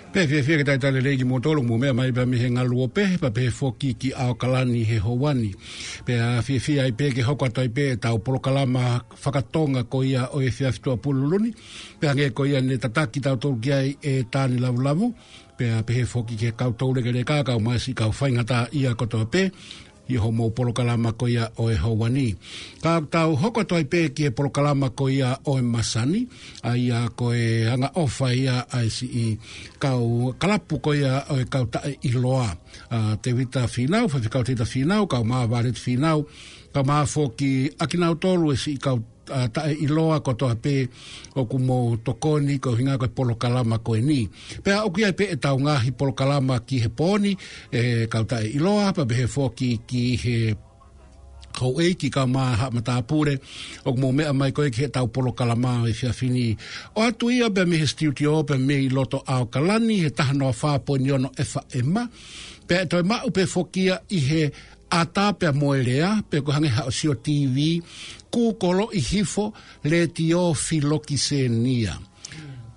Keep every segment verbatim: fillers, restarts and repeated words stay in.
Pea fiefia ke talitali lelei kimoutolu ʻoku mou meʻa mai pea mei he ngaluope, pea pehē foki ki ʻAokalani he houa ni. Pea fiefia ai pē ke hoko atu ai pē ʻetau polokalama fakatonga ko ia ʻo e efiafi Tuʻapulelulu ni. Pea hangē ko ia ne tataki kitautolu ki ai ʻe Tani Lavulavu. Pea pehē foki ki he kau toulekeleka, kau mai siʻi kau faingataʻaʻia kotoa pē. ʻI hoʻomou polokalama ko ia ʻo e houa ni. Ka tau hoko atu ai pē ki he polokalama ko ia ʻo e masani, ʻa ia ko e angaʻofa ia ʻa e siʻi kau kalapu ko ia ʻo e kau taʻeʻiloa. ʻA, Tevita Fīnau, Faifekau Tevita Fīnau, kau mai Vāleti Fīnau, kau mai foki ʻakinautolu e siʻi kau ʻa, taʻeʻiloa kotoa pē ʻoku mou tokoni ko e ʻuhinga ko e polokalama ko eni. Pea ʻoku ʻi ai pē ʻetau ngaahi polokalama ki he pō ni, ʻe kau taʻeʻiloa, pea pehē foki ki he houʻeiki kau mai Haʻa Matāpule, ʻoku mou meʻa mai ko ē ki heʻetau polokalama ʻo e efiafi ni. ʻOatu ia pea mei he studio, pea mei loto ʻAokalani, he taha noa fā poini ono FM. Pea ʻe toe maʻu pē foki ia ʻi he ʻata pea mo e lea, pe ko e hangē haʻo sio TV, kūkoloʻi hifo, Letiō Filokisenia.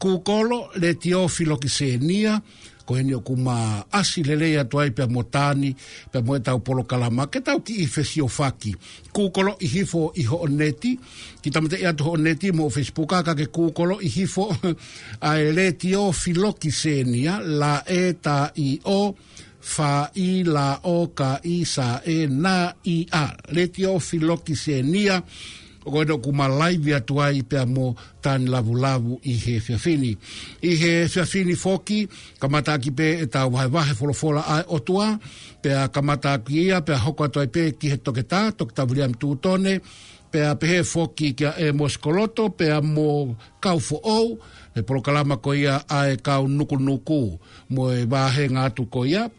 Kūkolo, Letiō Filokisenia, ko eni ʻoku ma ʻasi lelei atu ai pea mo Tani, pea mo ʻetau polokalama, ke tau kiʻi fesiofaki. Kūkoloʻi hifo ʻi hoʻo neti, kiʻi tāmateʻi atu hoʻo neti mo Facebook, ka ke kūkoloʻi hifo ʻa e Letiō Filokisenia, L E T I O, F I L O K I S E N I A, Letiō Filokisenia, ʻoku ʻi ai ʻoku ma laivi atu ai pea mo Tani Lavulavu ʻi he efiafi ni. ʻI he efiafi ni foki, kamataʻaki pē ʻetau vahevahe folofola ʻa e ʻOtua, pea kamataʻaki ia, pea hoko atu ai pē ki he toketā, Toketā Viliami Tūtone, pea pehē foki kia ʻEmosi Koloto, pea mo Kau Foʻou, he polokalama ko ia ʻa e kau nukunuku, mo e vāhenga atu ko ia,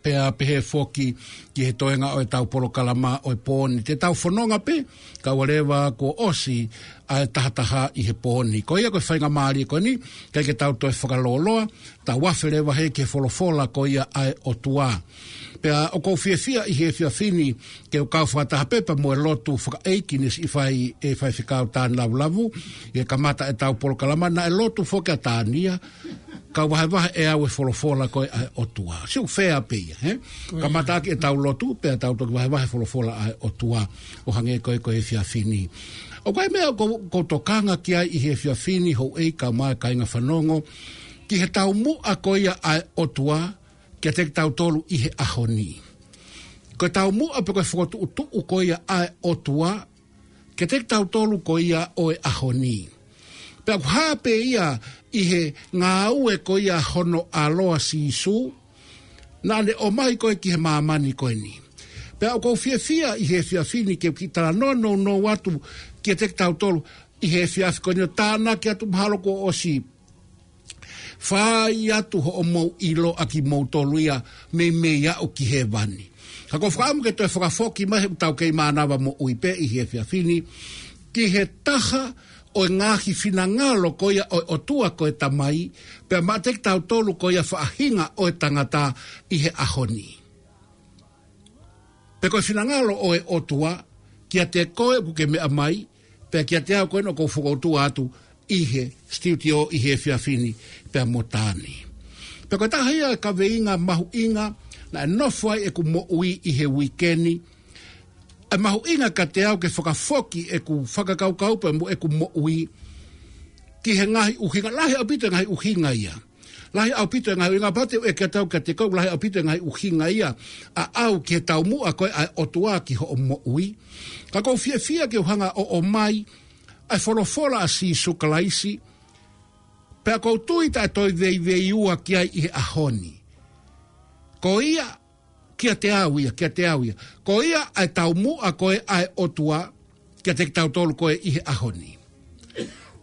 pea pehē foki ki he toenga ʻo ʻetau polokalama ʻo e pō ni. Te tau fononga pē, kae ʻoua leva kuo ʻosi ʻa e tahataha ʻi he pō ni. Ko ia ko e faingamālie ko eni, ʻikai ke tau toe fakalōloa, tau afe leva hē ki he folofola ko ia ʻa e ʻOtua. Pea ʻoku ou fiefia ʻi he efiafi ni ke u kau fakataha pē pea mo e lotu fakaʻeiki ne siʻi fai ʻe Faifekau Tani Lavulavu, ʻi he kamata ʻetau polokalama, naʻe lotu foki ʻa Tani ia, kau vahevahe ʻe au e folofola ko ē ʻa e ʻOtua. Siʻi ʻoku fea pē ia, he? Kamataʻaki ʻetau lotu, pea tau toki vahevahe folofola ʻa e ʻOtua, ʻo hangē ko ē ko e efiafi ni. ʻOku ʻi ai e meʻa ʻoku ou, ʻoku ou tokanga ki ai ʻi he efiafi ni, houʻeiki kau mai kāinga fanongo, ki he taumuʻa ko ia ʻa e ʻOtua, kiate kitautolu ʻi he ʻaho ni. Ko e taumuʻa pe ko e fokotuʻutuʻu ko ia ʻa e ʻOtua, kiate kitautolu ko ia ʻo e ʻaho ni. Pea ʻoku hā pē ia ʻi he ngāue ko ia hono ʻAlo ʻa Sīsū, naʻa ne ʻomai ko ē ki he māmani ko eni. Pea ʻoku ou fiefia ʻi he efiafi ni ke u kiʻi talanoa nounou atu kiate kitautolu ʻi he efiafi ko eni ʻo tānaki atu mahalo kuo ʻosi fai atu hoʻomou ʻilo ʻa kimoutolu ia meimei aʻu ki hēvani. Ka ʻoku ou fakaʻamu ke toe fakafoki mai he ʻoku tau kei mānava moʻui pē ʻi he efiafi ni, ki he taha ʻo e ngaahi finangalo ko ia ʻo e ʻOtua ko e Tamai, pea maʻate kitautolu ko ia faʻahinga ʻo e tangata ʻi he ʻaho ni. Pe ko e finangalo ʻo e ʻOtua, kiate koe ʻoku ke meʻa mai, pea kiate au ko ena ʻoku ou fokoutua atu ʻi he studio ʻi he efiafi ni pea mo Tani. Pea ko e taha ia e kaveinga mahuʻinga naʻe nofo ai ʻeku moʻui ʻi he uike ni, ʻe mahuʻinga kiate au ke fakafoki ʻeku fakakaukau pea mo ʻeku moʻui ki he ngaahi ʻuhinga, lahi ʻaupito e ngaahi ʻuhinga ia. Lahi ʻaupito e ngaahi ʻuhinga, pea te u ʻeke atu au kiate koe, lahi ʻaupito e ngaahi ʻuhinga ia ʻaʻau ki he taumuʻa ko ē ʻa e ʻOtua ki hoʻo moʻui. Ka ʻoku ou fiefia ke u hanga ʻo ʻomai ʻa e folofola ʻa Sīsū Kalaisi, pea ʻoku ou tui taʻe toe veiveiua ki ai ʻi he ʻaho ni. Ko ia, kiate au ia, kiate au ia. Ko ia ʻa e taumuʻa ko ē ʻa e ʻOtua, kiate kitautolu ko ē ʻi he ʻaho ni.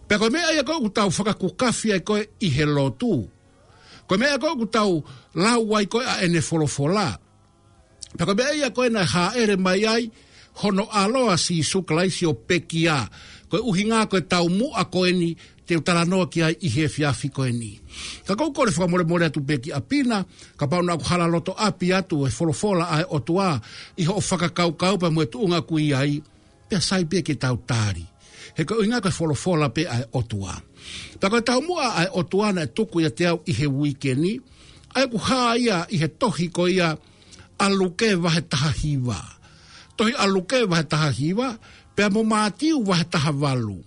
Pea ko e meʻa ia ko ē ʻoku tau fakakukafi ai ko ē ʻi he lotu. Ko e meʻa ko ē ʻoku tau lau ai ko ē ʻa ʻene folofola. Pea ko e meʻa ia ko ē naʻe hāʻele mai ai hono ʻAlo ʻa Sīsū Kalaisi ʻo pekia. Ko e ʻuhinga ko e taumuʻa ko eni te u talanoa ki ai ʻi he efiafi ko eni. Ka ʻoku ou kole fakamolemole atu pē ki ʻapi na, kapau naʻa ku hala loto ʻapi atu e folofola ʻa e ʻOtua ʻi hoʻo fakakaukau pea mo e tuʻunga ʻoku ʻi ai, pea sai pē ke tau tali. He ko e ʻuhinga ko e folofola pē ʻa e ʻOtua. Pea ko e taumuʻa ʻa e ʻOtua naʻe tuku ʻiate au ʻi he uike ni, ʻa ia ʻoku hā ia ʻi he tohi ko ia ʻa Luke vahe taha hiva. Tohi ʻa Luke vahe taha hiva, pea mo Mātiu vahe taha valu.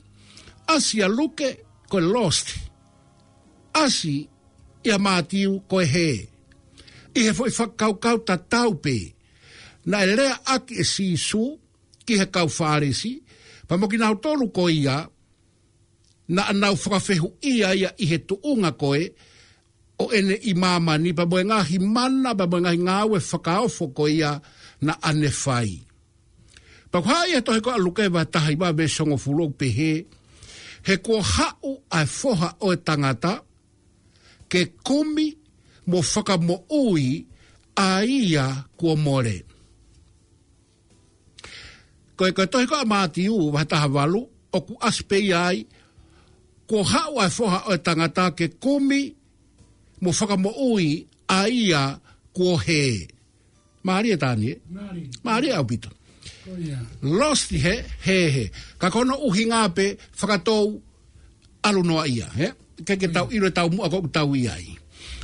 ʻAsi ʻa Luke ko e lost. ʻAsi ʻia Mātiu ko e hē. ʻI he foʻi fakakaukau tatau pē, naʻe leaʻaki ʻe Sīsū ki he kau Fālesi, pea mo kinautolu ko ia, naʻa nau fakafehuʻia ia ʻi he tuʻunga ko ē ʻo ʻene ʻi māmani, pea mo e ngaahi mana, pea mo e ngaahi ngāue fakaofo ko ia naʻa ne fai. Pea ʻoku hā ʻi he tohi ko ē ʻa Luke vahe taha hiva veesi hongofulu ʻoku pehē, he kuo haʻu ʻa e Foha ʻo e Tangata, ke kumi mo fakamoʻui ʻa ia kuo mole. Ko e, ko e tohi ko ē ʻa Mātiu vahe taha valu, ʻoku ʻasi pē ia ai, kuo haʻu ʻa e Foha ʻo e Tangata ke kumi mo fakamoʻui ʻa ia kuo hē. Mālie tā ni, ē? Mālie. Mālie ʻaupito. Ko ia. Lost he, hē, hē. Ka ko hono ʻuhinga pē fakatou ʻalu noa ia, ē? Ke, ke tau ʻilo e taumuʻa ko ē ʻoku tau ʻi ai.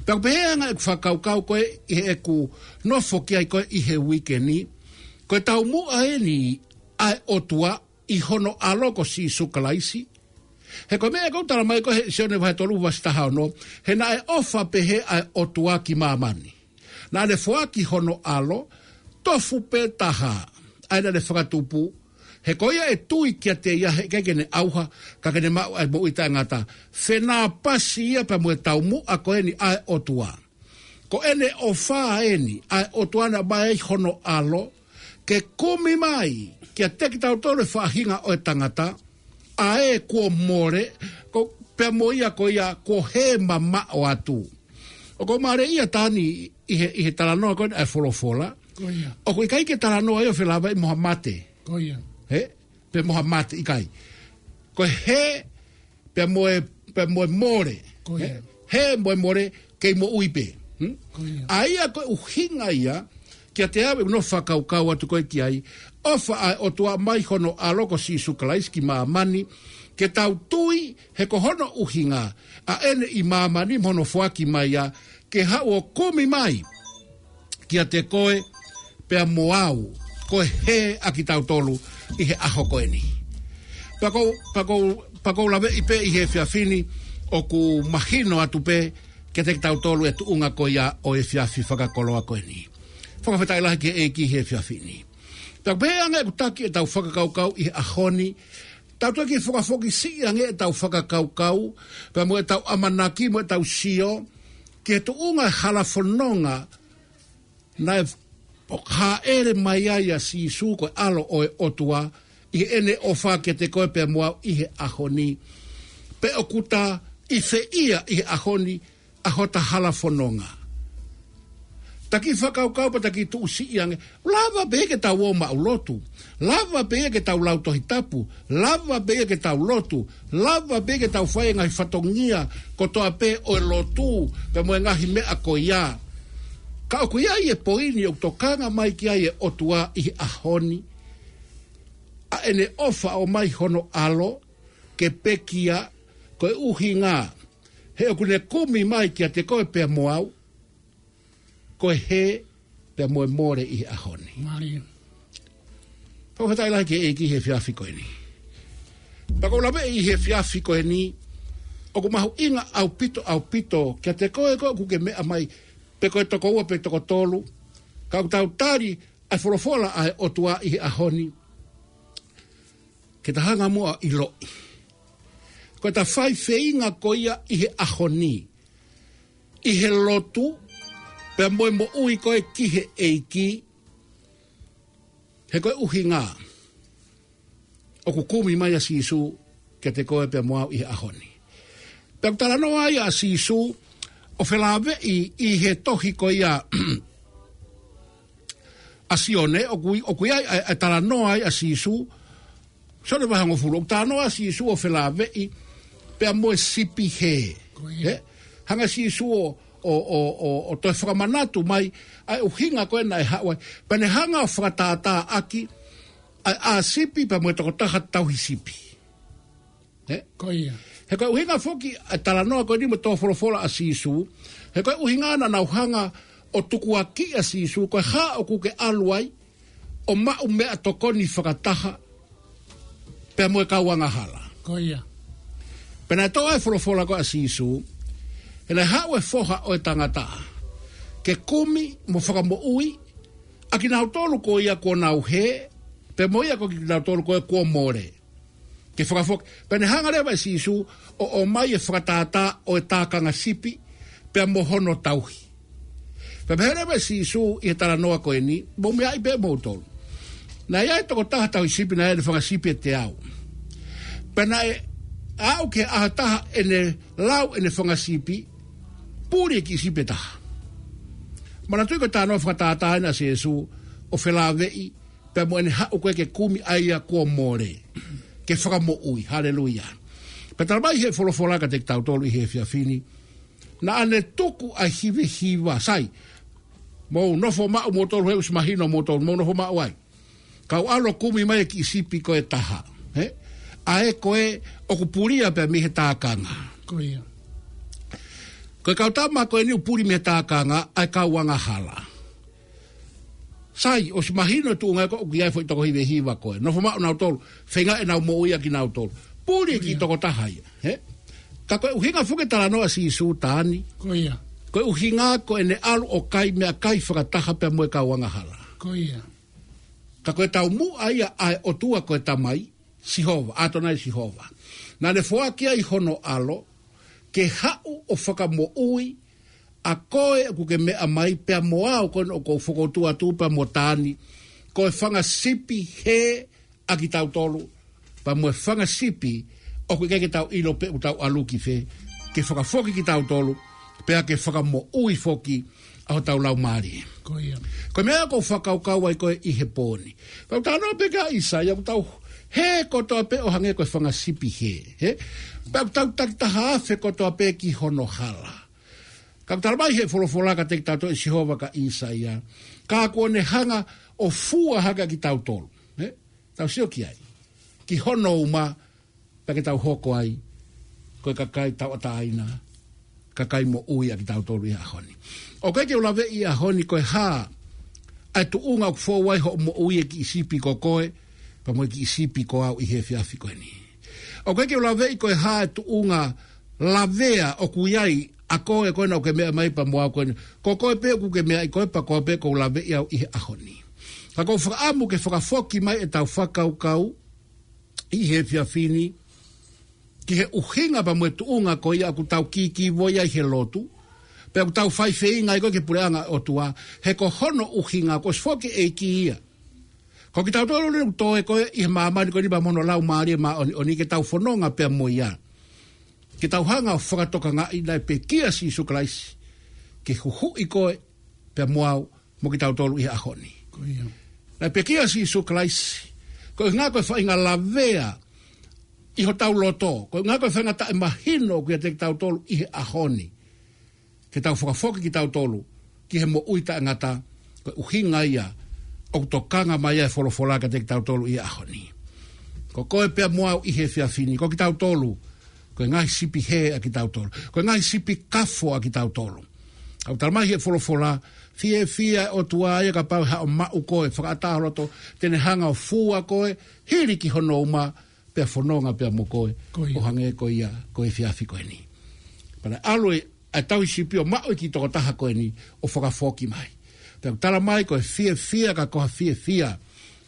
Pea ʻoku pehē ʻa e anga ʻeku fakakaukau ko ē ʻi heʻeku nofo ki ai ko ē ʻi he uike ni, ko e taumuʻa eni ʻa e ʻOtua ʻi hono ʻAlo ko Sīsū Kalaisi. He ko e meʻa ʻoku tala mai ko ē he Sione vahe tolu veesi taha ono, he naʻe ʻofa pehē ʻa e ʻOtua ki māmani, naʻa ne foaki hono ʻAlo, tofu pē taha, ʻa ia naʻa ne fakatupu, he ko ia ʻe tui kiate ia heʻikai ke ne ʻauha, ka ke ne maʻu ʻa e moʻui taʻengata. Fenāpasi ia pea mo e taumuʻa ko eni ʻa e ʻOtua. Ko ʻene ʻofa eni ʻa e ʻOtua naʻe ʻomai ai hono ʻAlo, ke kumi mai kiate kitautolu e faʻahinga ʻo e tangata, ʻa ē kuo mole, ko, pea mo ia ko ia kuo hē mamaʻo atu. ʻOku mālie ia tā ni ʻi he, ʻi he talanoa ko ē ʻa e folofola. Ko ia. ʻOku ʻikai ke talanoa ia ʻo felāveʻi mo ha mate. Ko ia. Hē? Pe mo ha mate, ʻikai. Ko e hē, pea mo e, pea mo e mole. Ko ia. Hē? Hē mo e mole, kei moʻui pē. Hmm? Ko ia. ʻA ia ko e ʻuhinga ia, kiate au ʻeku nofo fakakaukau atu ko ē ki ai, ʻofa ʻa e ʻOtua mai hono ʻAlo ko Sīsū Kalaisi ki māmani, ke tau tui he ko hono ʻuhinga ʻa ʻene ʻi māmani mo hono foaki mai ia, ke haʻu ʻo kumi mai kiate koe pea mo au, ko e hē ʻa kitautolu ʻi he ʻaho ko eni. Pea ʻoku ou, pea ʻoku ou, pea ʻoku ou laveʻi pē ʻi he efiafi ni, ʻoku mahino atu pē kiate kitautolu e tuʻunga ko ia ʻo e efiafi fakakoloa ko eni. Fakafetaʻi lahi ki he ʻEiki he efiafi ni. Pea ʻoku pehē ange ʻeku taki ʻetau fakakaukau ʻi he ʻaho ni, tau toki fakafoki siʻi ange ʻetau fakakaukau, pea mo ʻetau ʻamanaki, mo ʻetau sio, ki he tuʻunga e hala fononga naʻe hāʻele mai ai ʻa Sīsū ko e ʻAlo ʻo e ʻOtua, ʻi heʻene ʻofa kiate koe pea mo au ʻi he ʻaho ni. Pe ʻoku ta ʻi fē ia ʻi he ʻaho ni, ʻa hota hala fononga. Ta kiʻi fakakaukau pea ta kiʻi tuʻu siʻi ange. Lava pē ke tau ō maʻu lotu. Lava pē ke tau lau Tohi Tapu. Lava pē ke tau lotu. Lava pē ke tau fai e ngaahi fatongia kotoa pē ʻo e lotu, pea mo e ngaahi meʻa ko ia. Ka ʻoku ʻi ai e poini ʻoku tokanga mai ki ai e ʻOtua ʻi he ʻaho ni. ʻA ʻene ʻofa ʻomai hono ʻAlo, ke pekia, ko e ʻuhinga he ʻoku ne kumi mai kiate koe pea mo au, ko e hē pea mo e mole ʻi he ʻaho ni. Mālie. Fakafetaʻi lahi ki he ʻEiki he efiafi ko eni. Pea ʻoku ou laveʻi he efiafi ko eni, ʻoku mahuʻinga ʻaupito, ʻaupito, kiate koe ko ē ʻoku ke meʻa mai, pe ko e toko ua pe toko tolu, ka ʻoku tau tali ʻa e folofola ʻa e ʻOtua ʻi he ʻaho ni. Ke ta hanga muʻa ʻo ʻiloʻi. Ko ʻeta fai feinga ko ia ʻi he ʻaho ni, ʻi he lotu, pea mo e moʻui ko ē ki he ʻEiki, he ko e ʻuhinga ʻoku kumi mai ʻa Sīsū kiate koe pea mo au ʻi he ʻaho ni. Pea ʻoku talanoa ai ʻa Sīsū ʻo felāveʻi ʻi he tohi ko ia ʻa Sione, ʻoku ʻi, ʻoku ʻi ai ʻa e, ʻa e talanoa ai ʻa Sīsū, Sione vahe hongofulu, ʻoku talanoa ʻa Sīsū ʻo felāveʻi pea mo e sipi hē. Ko ia. Ē? Hanga ʻe Sīsū ʻo, ʻo, ʻo, ʻo, ʻo toe fakamanatu mai ʻa e ʻuhinga ko ē naʻe haʻu ai. Pea ne hanga ʻo fakatātāʻaki ʻa e ʻā sipi pea mo e tokotaha tauhi sipi. Ē? Ko ia. He ko e ʻuhinga foki ʻa e talanoa ko eni mo e tō folofola ʻa Sīsū, he ko e ʻuhinga naʻa nau hanga ʻo tukuakiʻi ʻa Sīsū, ko e hā ʻoku ke ʻalu ai ʻo maʻu meʻatokoni fakataha pea mo e kau angahala. Ko ia. Pea naʻe toʻo ʻa e folofola ko ē ʻa Sīsū, he naʻe haʻu e Foha ʻo e Tangata ke kumi mo fakamoʻui ʻa kinautolu ko ia kuo nau hē, pea mo ia ko kinautolu ko ia kuo mole. Ke fakafoki, pea ne hanga leva ʻe Sīsū ʻo ʻomai e fakatātā ʻo e tākanga sipi, pea mo hono tauhi. Pea pehē leva ʻe Sīsū ʻi he talanoa ko eni, mou meaʻi pē moutolu. Naʻe ʻi ai e tokotaha tauhi sipi, naʻe ʻi ai ʻene fanga sipi ʻe teau. Pea naʻe aʻu ki he ʻaho ʻe taha ʻene lau ʻene fanga sipi, puli e kiʻi sipi ʻe taha. Manatuʻi ko e talanoa fakatātā ena ʻa Sīsū ʻo felāveʻi pea mo ʻene haʻu ko ē ke kumi ʻa ia kuo mole, ke fakamoʻui. Haleluia. Pea talamai ʻe he folofola kiate kitautolu ʻi he efiafi ni, naʻa ne tuku ʻa e hivehiva, sai, mou nofo maʻu moutolu he ʻosi mahino moutolu, mou nofo maʻu ai. Kau ʻalu ʻo kumi mai e kiʻi sipi ko ē ʻe taha, ē? ʻA ē ko ē ʻoku pulia pē mei he tākanga. Ko ia. Ko e kau tama ko eni ʻoku puli mei he tākanga, ʻa e kau angahala. Sai, ʻosi mahino e tuʻunga ko ē ʻoku ʻi ai e foʻi toko hivehiva ko ē. Nofo maʻu nautolu, feinga ʻenau moʻui ʻa kinautolu. Puli e kiʻi tokotaha ia, ē? Ka ko e ʻuhinga foki e talanoa ʻa Sīsū, Taani, ko ia, ko e ʻuhinga ko ʻene ʻalu ʻo kai meʻakai fakataha pea mo e kau angahala. Ko ia. Ka ko e taumuʻa ia ʻa e ʻOtua ko e Tamai, Sihova, ʻAtonai Sihova. Naʻa ne foaki ai hono ʻAlo ke haʻu ʻo fakamoʻui ʻa koe ʻoku ke meʻa mai pea mo au ko ena ʻoku ou fokotuʻu atu pea mo Taani, ko e fanga sipi hē ʻa kitautolu, pea mo e fanga sipi ʻoku ʻikai ke tau ʻilo pe ʻoku tau ʻalu ki fē, ke fakafoki kitautolu, pea ke fakamoʻui foki ʻa hotau laumālie. Ko ia. Ko e meʻa ʻoku ou fakakaukau ai ko ē ʻi he pō ni. Pea ʻoku talanoa pē ki ai ʻa ʻĪsaia, ʻoku tau hē kotoa pē ʻo hangē ko e fanga sipi hē, ē? Pea ʻoku tau takitaha afe kotoa pē ki hono hala. Ka ʻoku talamai ʻe he folofola kiate kitautolu ʻe Sihova kia ʻĪsaia, ka kuo ne hanga ʻo fua hake ʻa kitautolu, ē? Tau sio ki ai. Ki hono uma, pea ke tau hoko ai ko e kakai tauʻatāina, kakai moʻui ʻa kitautolu ʻi he ʻaho ni. ʻOku ʻikai ke u laveʻi ʻi he ʻaho ni ko e hā ʻa e tuʻunga ʻoku fou ai hoʻo moʻui, e kiʻi sipi ko koe, pea mo e kiʻi sipi ko au ʻi he efiafi ko eni. ʻOku ʻikai ke u laveʻi ko e hā e tuʻunga lavea ʻoku ʻi ai ʻa koe ko ena ʻoku ke meʻa mai pea mo au ko ena. Ko koe pē ʻoku ke meʻa ai koe pea ko au pē ʻoku ou laveʻi au ʻi he ʻaho ni. Ka ʻoku ou fakaʻamu ke fakafoki mai ʻetau fakakaukau ʻi he efiafi ni ki he ʻuhinga pea mo e tuʻunga ko ia ʻoku tau kīkīvoi ai he lotu, pea ʻoku tau fai feinga ai ko ē ki he puleʻanga ʻo e ʻOtua, he ko hono ʻuhinga kuo ʻosi foaki ʻe he ʻEiki ia. Ko kitautolu ʻoku toe ko ē ʻi he māmani ko eni pea mo hono Laumālie Māʻoniʻoni ke tau fononga pea mo ia. Ke tau hanga ʻo fakatokangaʻi naʻe pekia ʻa Sīsū Kalaisi ke huhuʻi koe pea mo au mo kitautolu ʻi he ʻaho ni. Ko ia. Naʻe pekia ʻa Sīsū Kalaisi. Ko e ʻuhinga ko e faʻahinga lavea ʻi hotau loto. Ko e ʻuhinga ko e faʻahinga taʻemahino ʻoku ʻiate kitautolu ʻi he ʻaho ni. Ke tau fakafoki kitautolu ki he moʻui taʻengata, ko e ʻuhinga ia ʻoku tokanga mai ai e folofola kiate kitautolu ʻi he ʻaho ni. Ko koe pea mo au ʻi he efiafi ni, ko kitautolu, ko e ngaahi sipi hē ʻa kitautolu. Ko e ngaahi sipi kafo ʻa kitautolu. ʻOku talamai ʻe he folofola, fiefia e ʻOtua ia kapau ʻe haʻo maʻu koe, fakaʻatā ho loto, te ne hanga ʻo fua koe, hili ki hono uma, pea fononga pea mo koe, ko ia, ʻo hangē ko ia ko e efiafi ko eni. Pea naʻe ʻalu e ʻa e tauhi sipi ʻo maʻu e kiʻi tokotaha ko eni ʻo fakafoki mai. Pea ʻoku talamai ko e fiefia ka ko ha fiefia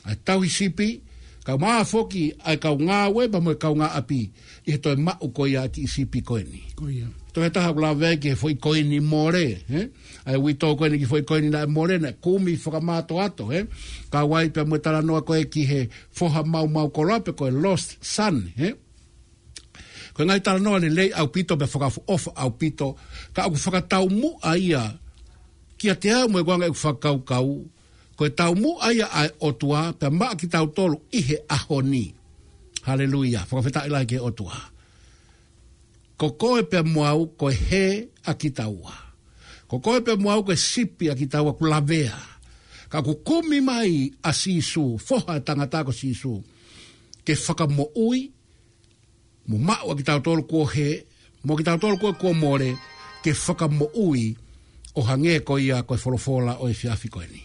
ʻa e tauhi sipi, kae ʻumaʻā foki ʻa e kau ngāue pea mo e kaungāʻapi ʻi he toe maʻu ko ia ʻa e kiʻi sipi ko eni. Ko ia. Toe taha ʻoku lave ai ki he foʻi koini mole, ē? ʻA e uitou ko eni ki he foʻi koini naʻe mole, naʻe kumi fakamātoato, ē? Kau ai pea mo e talanoa ko ē ki he foha maumau koloa pe ko e lost son, ē? Ko e ngaahi talanoa lelei ʻaupito pea fakaʻofoʻofa ʻaupito, ka ʻoku fakataumuʻa ia kiate au mo e ʻuhinga ʻeku fakakaukau, ko e taumuʻa ia ʻa e ʻOtua pea maʻa kitautolu ʻi he ʻaho ni. Haleluia, fakafetaʻi lahi ki he ʻOtua. Ko koe pea mo au ko e hē ʻa kitaua. Ko koe pea mo au ko e sipi ʻa kitaua ʻoku lavea. Ka ʻoku kumi mai ʻa Sīsū, foha ʻo e tangata ko Sīsū, ke fakamoʻui mo maʻu ʻa kitautolu kuo hē, mo kitautolu ko ē kuo mole, ke fakamoʻui ʻo hangē ko ia ko e folofola ʻo e efiafi ko eni.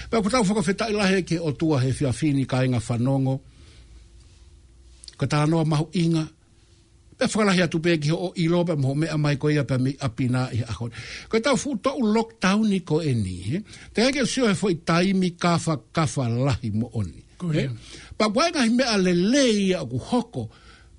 Pea ʻoku tau fakafetaʻi lahi ki he ʻOtua he efiafi ni, kāinga fanongo. Ko e talanoa mahuʻinga, pea fakalahi atu pē ki hoʻo ʻilo pea mo hoʻo meʻa mai ko ia pea mei ʻapi na ʻi he ʻaho ni. Ko ʻetau fuʻu toʻu lockdown ko eni, ē? Teʻeki ke u sio he foʻi taimi kafakafa lahi moʻoni, ē? Ko ia. Pea ʻoku ʻi ai e ngaahi meʻa lelei ia ʻoku hoko.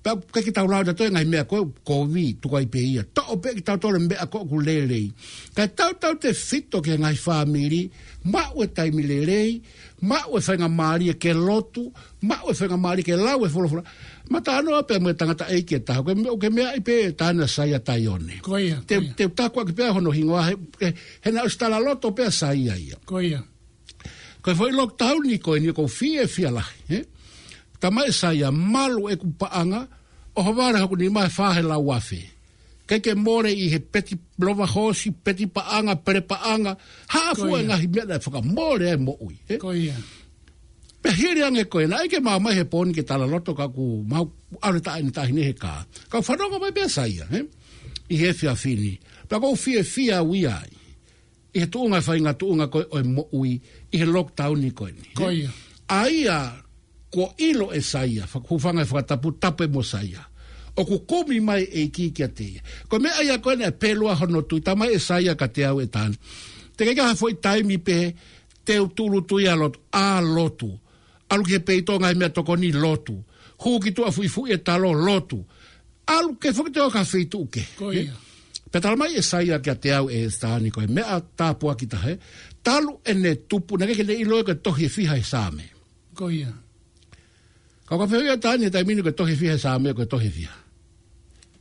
Pea ʻikai ke tau lau ʻe tautolu e ngaahi meʻa ko ē kovi, tuku ai pē ia. Toʻo pē ʻe kitautolu e meʻa ko ē ʻoku lelei. Kae tautautefito ki he ngaahi fāmili, maʻu e taimi lelei, maʻu e faingamālie ke lotu, maʻu e faingamālie ke lau e folofola. Mataʻanoa pē mo e tangataʻeiki ʻe taha, ko e meʻa, ko e meʻa ia pē taʻane ʻa Saia Taione. Ko ia, Te, ko ia. te u takuaʻaki pē hono hingoa he, he, he naʻe ʻosi talaloto pē ʻa Saia ia. Ko ia. Ko e foʻi lockdown ko eni ʻoku ou fiefia lahi, ē? Talamai ʻe Saia, malu ʻeku paʻanga, ʻohovale hoku nima he fā he lau afe. ʻIkai ke mole ʻi he peti lova hoosi, peti paʻanga, pele paʻanga, hā Ko fua ia. ngaahi meʻa naʻe fakamole ai e moʻui, ē? Ko ia. Pea hili ange ko ē, naʻe ʻikai ke mau ō mai he pō ni ke talaloto ka ʻoku mau ʻalu e taʻahine, taʻahine he kā. Kau fanongo mai pē ʻa Saia, ē? ʻI he efiafi ni. Pea ʻoku ou fiefia au ia ai. ʻI he tuʻunga, faʻahinga tuʻunga ko ē ʻo e moʻui, ʻi he lockdown ko eni, ē? Ko ia. ʻA ia, kuo ʻilo ʻe Saia, fak-, hūfanga he fakatapu, tapu mo Saia. ʻOku kumi mai e ʻEiki kiate ia. Ko e meʻa ia ko ē naʻe pelu ai hono tui, talamai ʻe Saia kiate au ʻe Tani. Teʻeki ke ʻi ai ha foʻi taimi pē, te u tūʻulutui ʻa lotu, ʻa lotu. ʻAlu ki he peito ngaahi meʻatokoni lotu. Hū ki tuʻa fuʻifuʻi e talo lotu. ʻAlu ke foki te o ka feituʻu kehe. Ko ia. Pea talamai ʻe Saia kiate au ʻe Tani ko e meʻa tāpuaki taha ē. Talu ʻene tupu, naʻe ʻikai ke ne ʻilo ia ko e tohi ʻe fiha he Saame. Ko ia. Ka ʻoku ou fehuʻi atu ʻe Tani he taimi ni ko e tohi ʻe fiha he Saame, ko e tohi ʻe fiha.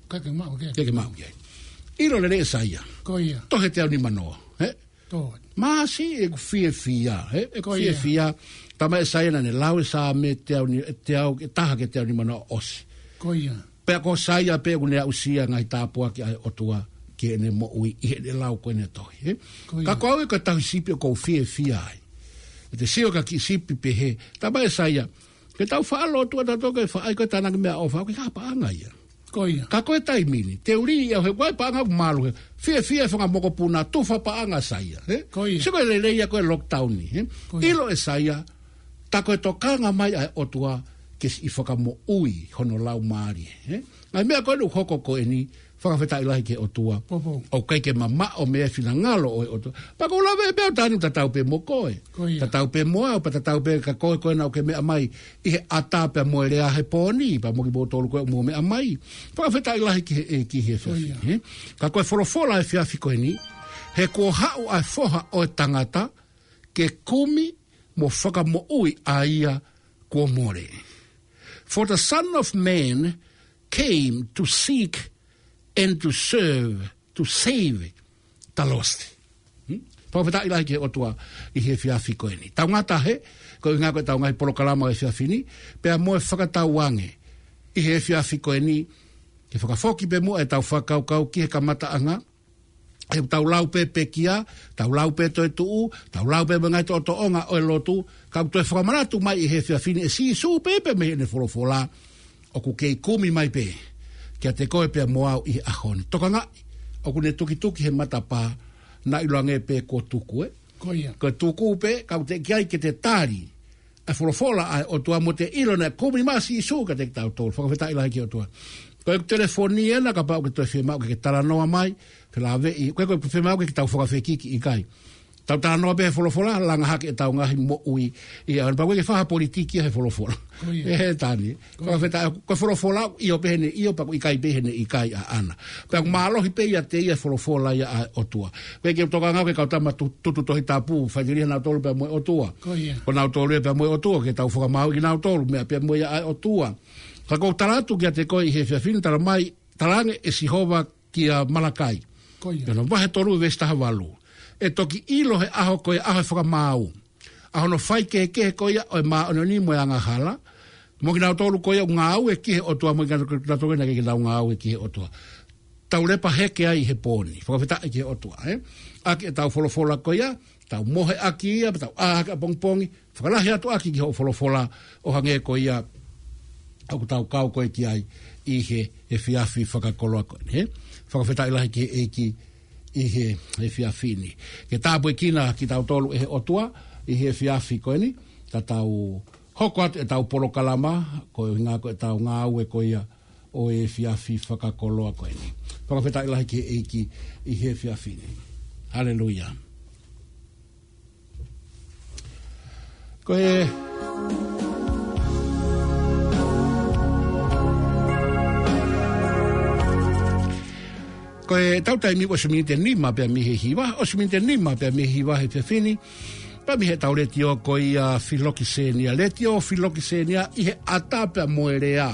ʻIkai ke maʻu ke. ʻIkai ke maʻu ke. ʻIlo lelei ʻe Saia. Ko ia. Tohi ʻe teau nimanoa, ē? Ko. Māsiʻi ʻeku fiefia, ē? ʻEku Ko ia. fiefia. Talamai ʻe Saia naʻa ne lau e Saame teau ni-, teau, ʻe taha ki he teau nimanoa ʻosi. Ko ia. Pea ko Saia pē ʻoku ne aʻusia ngaahi tāpuaki ʻa e ʻOtua ki heʻene moʻui ʻi heʻene lau ko ʻene tohi, ē? Ko ia. Ka ko au ia ko e tauhi sipi ʻoku ou fiefia ai. ʻE te sio ki ha kiʻi sipi pehē. Talamai ʻe Saia, ke tau faʻa lotu ʻa tautolu ke faʻa ʻai ko e tānaki meʻaʻofa, ʻoku ʻikai ha paʻanga ia. Ko ia. Ka ko e taimi ni, te u lī ia he ʻoku ʻi ai e paʻanga ʻoku malu he. Fiefia e fanga mokopuna, tufa paʻanga ʻa Saia, ē? Ko ia. Sio ko e lelei ia ko e lockdown ni, ē? Ko ia. ʻIlo ʻe Saia, tā ko e tokanga mai ʻa e ʻOtua ke siʻi fakamoʻui hono laumālie, ē? Ngaahi meʻa ko eni ʻoku hoko ko eni, fakafetaʻi lahi ki he ʻOtua. Popo. ʻOku ʻikai ke mamaʻo mei he finangalo ʻo e ʻOtua. Pea ʻoku ou lave pē au ʻe Tani, tatau pē mo koe. Ko ia. Tatau pē mo au, pea tatau pē kia koe ko ena ʻoku ke meʻa mai ʻi he ʻatā pea mo e lea he pō ni, pea mo kimoutolu ko ē ʻoku mou meʻa mai. Fakafetaʻi lahi ki he, ē, ki he Ko ia. efiafi, ē? Ka ko e folofola ʻo e efiafi ko eni, he kuo haʻu ʻa e Foha ʻo e tangata, ke kumi mo fakamoʻui ʻa ia kuo mole. For the Son of Man came to seek and to serve, to save the lost. Hmm? Fakafetaʻi lahi ki he ʻOtua ʻi he efiafi ko eni. Tau ngata hē, ko e ʻuhinga ko ʻetau ngaahi polokalama ʻo e efiafi ni, pea mo e fakatauange ʻi he efiafi ko eni, ke fakafoki pē muʻa ʻetau fakakaukau ki he kamataʻanga, he ʻoku tau lau pē pekia, tau lau pē toetuʻu, tau lau pē mo e ngaahi toʻotoʻonga ʻo e lotu, ka ʻoku toe fakamanatu mai ʻi he efiafi ni ʻe Sīsū pē pea mei heʻene folofola, ʻoku kei kumi mai pē kiate koe pea mo au ʻi he ʻaho ni. Tokangaʻi, ʻoku ne tukituki he matapā, naʻa ʻiloange pē kuo tuku, ē? Ko ia. Ko e tuku pē, ka ʻoku teʻeki ai ke te tali ʻa e folofola ʻa e ʻOtua mo te ʻilo naʻe kumi mai ʻa Sīsū kiate kitautolu. Fakafetaʻi lahi ki he ʻOtua. Ko e telefoni ena kapau ʻoku ke toe fiemaʻu ke ke talanoa mai, felāveʻi, ko e, ko e fiemaʻu ke ke tau fakafekiki, ʻikai. Tau talanoa pē he folofola, langa hake ʻetau ngaahi moʻui. ʻIa, pea ʻoku ʻikai ke fai ha politiki ia he folofola. Ko ia. ʻE Tani. Ko ia. Fakafetaʻi, ko e folofola, ʻio pē heʻene ʻio, pea ʻoku ʻikai pē heʻene ʻikai ʻaʻana. Pea ʻoku mālohi pē ʻiate ia e folofola ia ʻa e ʻOtua. Pea ʻikai ke u tokanga au ki he kau tama tu-, tutu Tohi Tapu, faiteliha nautolu pea mo e ʻOtua. Ko ia. Ko nautolu ia pea mo e ʻOtua, ke tau fakamaau kinautolu, meʻa pea mo ia ʻa e ʻOtua. Ka ʻoku ou tala atu kiate koe ʻi he efiafi ni, talamai, talaange ʻe Sihova kia Malakai. Ko ia. Pea ʻi he vahe tolu veesi taha valu. ʻE toki ʻilo he ʻaho ko e ʻaho e fakamaau, ʻa hono faikehekehe ko ia ʻo e māʻoniʻoni mo e angahala, mo kinautolu ko ia ʻoku ngāue ki he ʻOtua, mo kinautolu ko ia naʻe ʻikai ke nau ngāue ki he ʻOtua. Tau lepa heke ai he pō ni. Fakafetaʻi ki he ʻOtua, ē? ʻAki ʻetau folofola ko ia, tau mohe ʻaki ia, pea tau ʻā hake ʻapongipongi, fakalahi atu ʻaki ki hoʻo folofola ʻo hangē ko ia ʻoku tau kau ko ē ki ai ʻi he efiafi fakakoloa ko eni, he? Fakafetaʻi lahi ki he ʻEiki ʻi he efiafi ni. Ke tāpuekina kitautolu ʻe he ʻOtua ʻi he efiafi ko eni, ka tau hoko atu ʻetau polokalama, ko e ʻuhinga ko ʻetau ngāue ko ia ʻo e efiafi fakakoloa ko eni. Fakafetaʻi lahi ki he ʻEiki ʻi he efiafi ni. Haleluia. Ko e, ko ʻetau taimi ʻosi miniti ʻe nima pea mei he hiva, ʻosi miniti ʻe nima pea mei he hiva he efiafi ni, pea mei heʻetau letiō ko ia Filokisenia, Letiō Filokisenia ʻi he ʻatā pea mo e lea.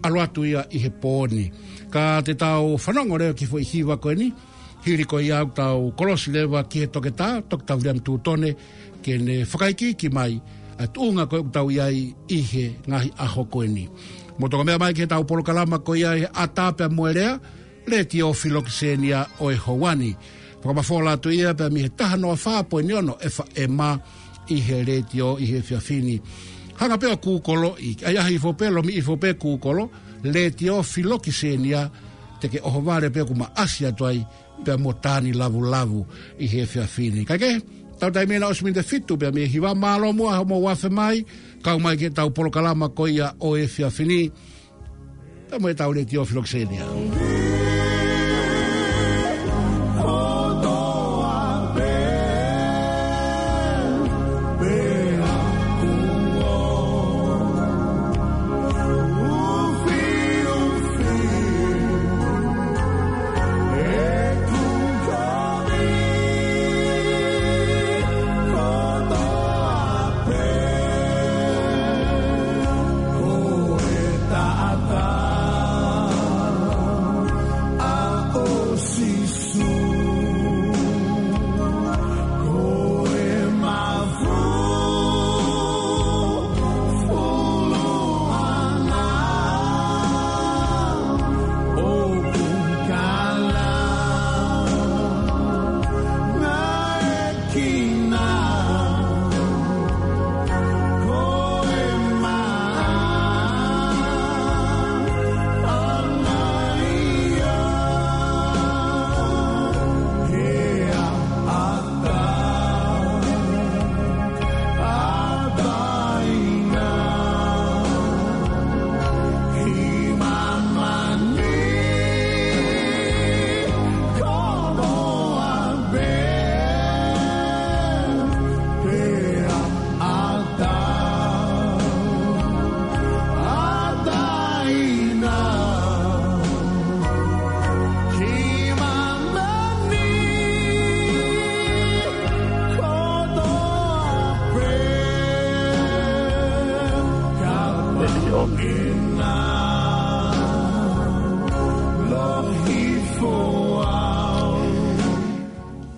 ʻAlu atu ia ʻi he pō ni. Ka te tau fanongo leva ki he foʻi hiva ko eni, hili ko ia ʻoku tau kolosi leva ki he toketā, Toketā Viliami Tūtone, ke ne fakaikiiki mai ʻa e tuʻunga ko ē ʻoku tau ʻi ai ʻi he ngaahi ʻaho ko eni. Mou toki meʻa mai ki heʻetau polokalama ko ia ʻi he ʻatā pea mo e lea, Letiō Filokisenia ʻo e houa ni. Fakamafola atu ia pea mei he taha noa fā poini ono FM ʻi he letiō ʻi he efiafi ni. Hanga pē ʻo kūkoloʻi, ʻai ʻaho hifo pē, lomiʻi hifo pē kūkolo, Letiō Filokisenia, te ke ʻohovale pē ʻoku maʻasi atu ai pea mo Tani Lavulavu ʻi he efiafi ni. Kae kehe, ʻetau taimi ena ʻosi miniti ʻe fitu pea mei he hiva. Mālō muʻa hoʻomou afe mai, kau mai ki heʻetau polokalama ko ia ʻo e efiafi ni. Pea mo ʻetau Letiō Filokisenia.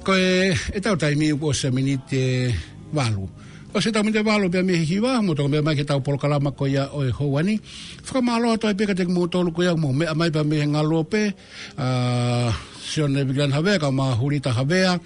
Ko e, ʻetau taimi ʻosi miniti ʻe valu. ʻOsi ʻetau miniti ʻe valu pea mei he hiva, mou toki meʻa mai ki heʻetau polokalama ko ia ʻo e houa ni. Fakamālō atu ai pē kiate kimoutolu ko ia mou meʻa mai pea mei he Ngaluope, ʻa Sione Vikilani Havea, kae ʻumaʻā Hulita Havea,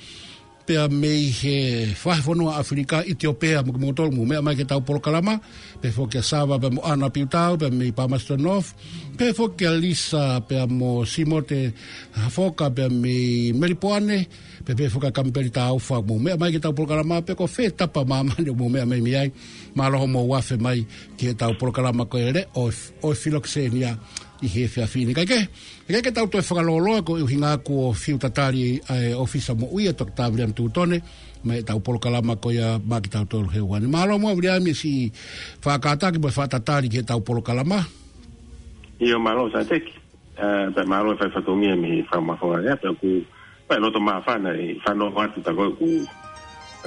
pea mei he vahefonua ʻAfilika, ʻItiopea, mo kimoutolu mou meʻa mai ki heʻetau polokalama, pehē foki kia Sava pea mo ʻAna Piutau, pea mei Palmerston North, pehē foki kia Lisa pea mo Simote Hafoka, pea mei Melipoane, pea pehē foki kia Kamipeli Taufa, mou meʻa mai ki heʻetau polokalama, pe ko fē tapa ʻo māmani ʻoku mou meʻa mai mei ai, mālō hoʻomou afe mai ki heʻetau polokalama ko e Letiō ʻo e Filokisenia ʻi he efiafi ni. Kae kehe, kae kehe, ke tau toe fakalōloa koeʻuhi ngā kuo fiu tatali ʻa e ʻōfisa moʻui ʻa Toketā Viliami Tūtone, mei heʻetau polokalama ko ia maʻa kitautolu he houa ni. Mālō muʻa Viliami siʻi faʻa kātaki mo e faʻa tatali ki heʻetau polokalama. ʻIo, mālō Sāteki. ʻE, pea mālō e fai fatongia mei he fakamafola ia, pea ʻoku, pea loto māfana ʻi he fanongo atu ta ko ē ʻoku,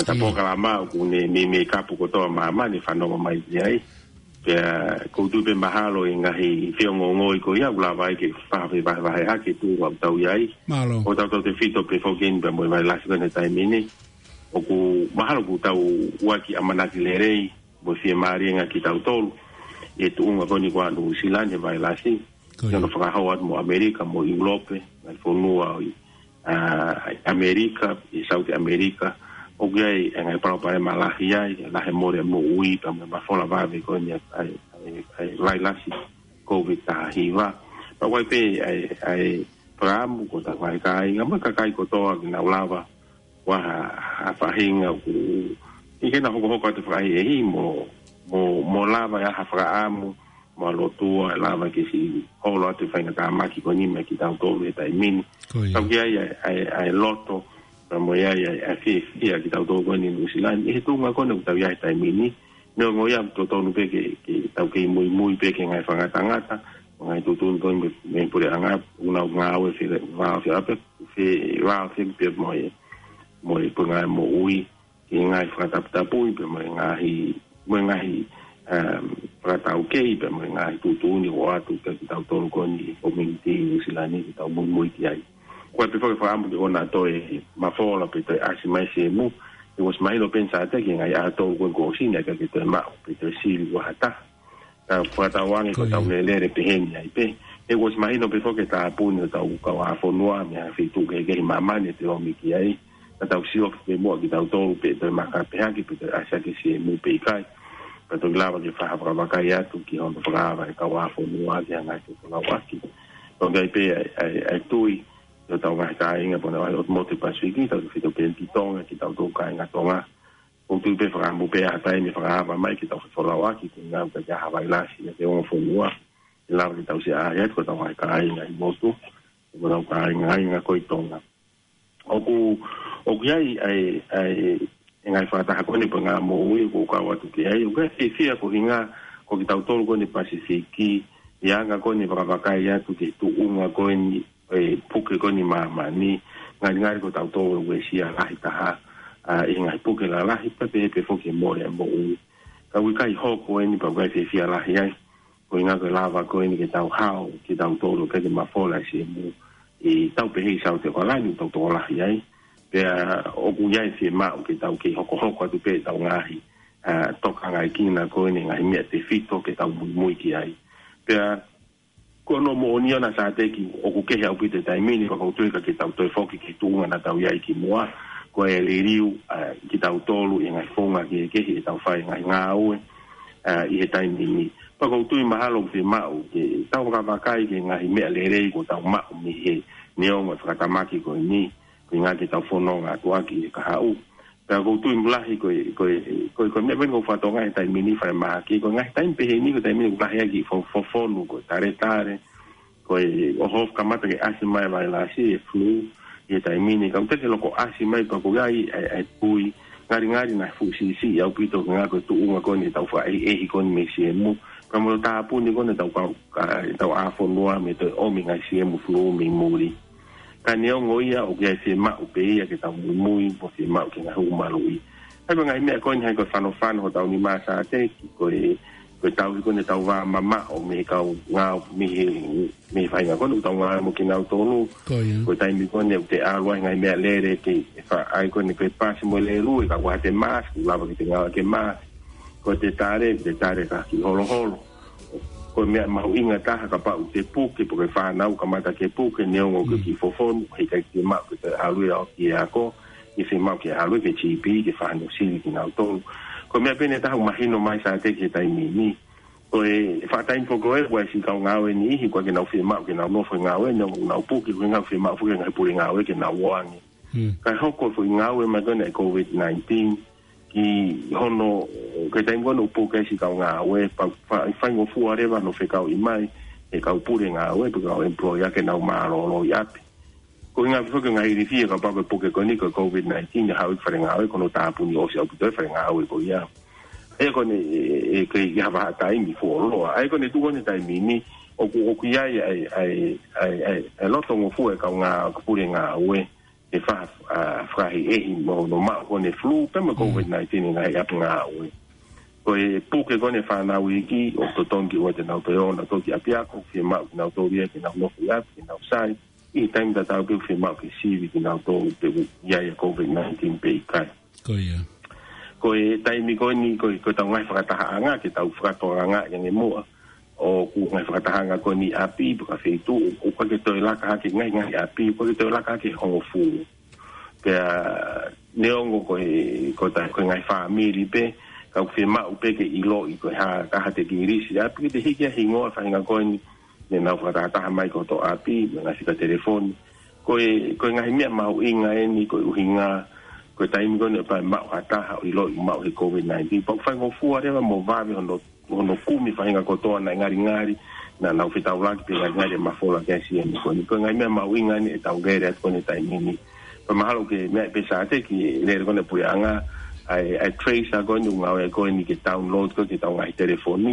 ta ʻIo. Polokalama ʻoku ne meimei kapu kotoa māmani fanongo mai ki ai. Pea ʻoku ou tui pē mahalo ʻi he ngaahi feongoongoi ko ia ʻoku lava ai ke fakafe vahevahe hake tuʻunga ʻoku tau ʻi ai. Mālō. ʻO tautautefito pē foki eni pea mo e vailasi ko eni he taimi ni. ʻOku mahalo ʻoku tau ʻoaki ʻamanaki lelei mo e fiemālie ange kitautolu ʻi he tuʻunga ko eni ko ia ʻa Nuʻusila ni he vailasi. Ko ia. ʻI hono fakahoko atu mo ʻAmelika, mo ʻIulope, ngaahi fonua ʻo ʻi ʻa ʻAmelika, ʻi South ʻAmelika, ʻoku ʻi ai e ngaahi palopalema lahi ai, lahi e mole moʻui, pea mo e mafola vave ko eni ʻa e, ʻa e, ʻa e vailasi COVID taha hiva. Pea ʻoku ʻi ai pē ʻa e, ʻa e fakaʻamu ko ʻetau ngaahi kāinga mo e kakai kotoa ke nau lava ʻo ʻi ai ha, ha faʻahinga ʻoku ʻikai ke na hokohoko atu fakaʻehiʻehi mo, mo, mo lava ʻi ai ha fakaʻamu mo ha lotua ʻe lava ke siʻi holo atu e faingatāmaki ko eni mei kitautolu he taimi ni. Ko ia. Tau ki ai ʻa e, ʻa e, ʻa e loto, pea mo e ʻi ai ʻa e, ʻa e fiefia kitautolu ko eni Nuʻusila ni ʻi he tuʻunga ko eni ʻoku tau ʻi ai he taimi ni. Neongo ia ʻoku totonu pē ke, ke tau kei muimui pē ki he ngaahi fakangatangata, ngaahi tuʻutuʻuni ko eni mei, mei he puleʻanga, ʻoku nau ngāue fie, ngāue fie ʻape, fie, ngāue fie pē mo e, mo e Puleʻanga Moʻui, ki he ngaahi fakataputapui, pea mo e ngaahi, mo e ngaahi, um, fakataukei, pea mo e ngaahi tuʻutuʻuni ʻoatu kia kitautolu ko eni community Nuʻusila ni ke tau muimui ki ai. Ko e pē foki fakaʻamu ke ʻoua toe mafola pe toe ʻasi mai e siemu, he ʻoku ʻosi mahino pē eni Sateki he ngaahi ʻaho tolu ko eni kuo ʻosi ni ʻikai ke toe maʻu pe toe sili ʻe ha taha. Ka fakatauange ko Ko ia. ʻetau lelele pehē ni ai pē. He ʻoku ʻosi mahino pē foki e tāpuni ʻo ʻetau kau ʻā fonua mei ha feituʻu kehekehe ʻi māmani ʻe toe ʻomi ki ai. Ka tau sio ki muʻa kitautolu pe toe maka pehē hake pe toe ʻasi hake e siemu pe ʻikai. Ka toki lava ke fakavakai atu ki hono fakaava e kau ʻā fonua ki he ngaahi fefolauʻaki. Toki ʻi ai pē ʻa e, ʻa e, ʻa e tui ʻo ʻetau ngaahi kāinga pea mo e ngaahi ʻotu motu Pasifiki, tau ki fito pē ki Tonga, kitautolu kāinga Tonga. ʻOku ou tui pē fakaʻamu pē ʻa e taimi ʻe fakaava mai ke tau fefolauʻaki, ko e ʻuhinga ʻoku ʻikai ke ʻi ai ha vailasi ʻi he ongo fonua. ʻE lava ke tau siʻi ʻaʻahi atu ko ʻetau ngaahi kāinga ʻi motu, ko ʻetau kāinga, kāinga ko ē ʻi Tonga. ʻOku, ʻoku ʻi ai, ʻa e, ʻa e, e ngaahi fakataha ko eni Puleʻanga Moʻui ʻoku ou kau atu ki ai, ʻoku ou fiefia ko e ʻuhinga ko kitautolu ko eni Pasifiki, ʻi he anga ko eni e fakavakai atu ki he tuʻunga ko eni e puke ko eni māmani, ngalingali ko tautolu ʻoku uesia lahi taha, ʻa, ʻi he ngaahi puke lalahi, pea pehē pē foki e mole ʻa e moʻui. Ka ʻoku ʻikai hoko eni pea ʻoku ʻikai fiefia lahi ai. Ko e ʻuhinga ko e lava ko eni ke tau hao, ke tau tolo, ke ke mafola e siemu. ʻI he tau pehē ʻi South Auckland, tau tokolahi ai. Pea ʻoku ʻi ai e fiemaʻu ke tau kei hokohoko atu pē ʻetau ngaahi, ʻa, tokangaʻi kina ko eni ngaahi meʻa tefito ke tau muimui ki ai. Pea ko hono moʻoni ʻona Sateki ʻoku kehe ʻaupito e taimi ni, pea ʻoku ou tui ʻikai ke tau toe foki ki he tuʻunga naʻa tau ʻi ai kimuʻa, ko e liliu, ʻa, kitautolu ʻi he ngaahi founga kehekehe ʻetau fai e ngaahi ngāue, ʻa, ʻi he taimi ni. Pea ʻoku ou tui mahalo ʻoku fiemaʻu ke tau vakavakai ki he ngaahi meʻa lelei kuo tau maʻu mei he neongo e fakatamaki ko eni, ko e ʻuhinga ke tau fononga atu ʻaki ʻi he kahaʻu. Pea ʻoku ou tui mulahi ko e, ko e, ko e, ko e meʻa pē eni ʻoku ou fakatokangaʻi he taimi ni falemahaki, ko e ngaahi taimi pehē ni, ko e taimi ni ʻoku lahi ʻaki e fo-, fofonu, ko e taletale, ko e ʻohofi kamata ke ʻasi mai e vailasi, e flu, ʻi he taimi ni, ka ʻoku teʻeki ke loko ʻasi mai pea ʻoku ʻi ai e, e tui, ngalingali naʻe fuʻu siʻisiʻi ʻaupito, ko e ʻuhinga ko e tuʻunga ko eni ʻetau fakaʻehiʻehi ko eni mei he siemu, pea mo e tāpuni ko eni ʻetau kau, ka, ʻetau ʻā fonua mei he toe ʻomi e ngaahi siemu flu mei muli. Ka neongo ia ʻoku ʻi ai e fiemaʻu pē ia ke tau muimui, mo e fiemaʻu ke ngaahi hū maluʻi. Ka ko e ngaahi meʻa ko eni ʻoku ʻikai ko e fanofano hotau nima Sateki, ko e, ko e tauhi ko eni ʻetau vā mamaʻo mei he kau ngāue, mei he, mei he faʻahinga ko eni ʻoku tau ngāue mo kinautolu. Ko ia. Ko e taimi ko eni ʻoku te ʻalu ai e ngaahi meʻalele ke, ʻe faʻa ʻai ko eni ko e pasi mo e lēlue, ka ʻoku ʻikai te mask, ʻoku lava ke te ngāue ki he mask. Ko e tale, te tale ka kiʻi holoholo. Ko e meʻa mahuʻinga taha kapau te puke, pe ko e fānau kamata ke puke, neongo ʻoku Mm. kiʻi fofonu, heʻikai ke maʻu ke toe ʻalu ia ki he ako, ʻe fiemaʻu ke ʻalu ki he GP, ke fai hono sili kinautolu. Ko e meʻa pē eni ʻe taha ʻoku mahino mai Sateki he taimi ni. Ko e faʻa taimi foki ko ē, ʻoku ʻi ai e siʻi kau ngāue ʻe niʻihi, ʻoku ʻikai ke nau fiemaʻu ke nau nofo he ngāue, neongo ʻoku nau puke, ʻoku ʻikai ke nau fiemaʻu foki e ngaahi pule ngāue ke nau ō ange. Mm. Kae hoko e foʻi ngāue mai ko eni ʻa e COVID nineteen, ki hono, ko e taimi ko eni ʻoku puke ai e siʻi kau ngāue, pea, pea faingofua leva hono fekauʻi mai e kau pule ngāue, pe ko e kau employer ke nau mālōlō ʻi ʻapi. Ko e ʻuhinga foki e ngaahi ilifia kapau ko e puke ko eni ko e COVID nineteen, ʻe haʻu ki fale ngāue, ko hono tāpuni ʻosi ʻaupito e fale ngāue ko ia. ʻA ia ko eni, ʻe, ʻe, ʻe kei ha vahaʻa taimi fuoloa. ʻA ia ko eni tuʻu ko eni he taimi ni, ʻoku, ʻoku ʻi ai, ʻa e, ʻa e, ʻa e, ʻa e, ʻa e loto ngofua e kau ngā-, pule ngāue, ʻe fa-, ʻa, fakaʻehiʻehi mo hono maʻu ko eni e flu, pea mo e Mm. COVID nineteen ʻi he ngaahi ʻapi ngāue. Ko e puke ko eni e fānau iiki, ʻoku totonu ke ʻoua te nau toe ō nautolu ki ʻapiako, fiemaʻu kinautolu ia ke nau nofo ʻi ʻapi, ke nau sai, ʻi he taimi tatau pē ʻoku fiemaʻu ke sivi kinautolu pe ʻoku ʻi ai e COVID nineteen pe ʻikai. Ko ia. Ko e taimi ko eni, ko e, ko ʻetau ngaahi fakatahaʻanga, ke tau fakatokangaʻi ange muʻa. ʻOku ngaahi fakatahaʻanga ko eni ʻapi, pe ko e feituʻu, ʻoku ʻikai ke toe laka hake ngaahi, ngaahi ʻapi, ʻoku ʻikai ke toe laka hake hongofulu. Pea neongo ko e, ko e ta-, ko e ngaahi fāmili pē, Ka ʻoku fiemaʻu pē ke ʻiloʻi ko e hā, ka hā te kilisi ʻapi, ke te hiki ʻa e hingoa faʻahinga ko eni, ne nau fakatahataha mai ki hoto ʻapi, mo e ngaahi fika telefoni. Ko e, ko e ngaahi meʻa mahuʻinga eni, ko e ʻuhinga, ko e taimi ko eni ʻe pau ʻe maʻu ha taha ʻo ʻiloʻi ʻoku maʻu he COVID nineteen. Pea ʻoku faingofua leva mo vave hono, hono kumi faʻahinga kotoa naʻe ngalingali, naʻa nau fetaulaki pē ngalingali ʻe mafola ki ai siʻene ko eni. Ko e ngaahi meʻa mahuʻinga eni ʻetau lele atu ko eni he taimi ni. Pea mahalo ke meʻa pē Sāteki, lele ko eni puleʻanga, ʻa e, ʻa e tracer ko eni ʻoku ngāue ko eni ke download ko eni ki hotau ngaahi telefoni.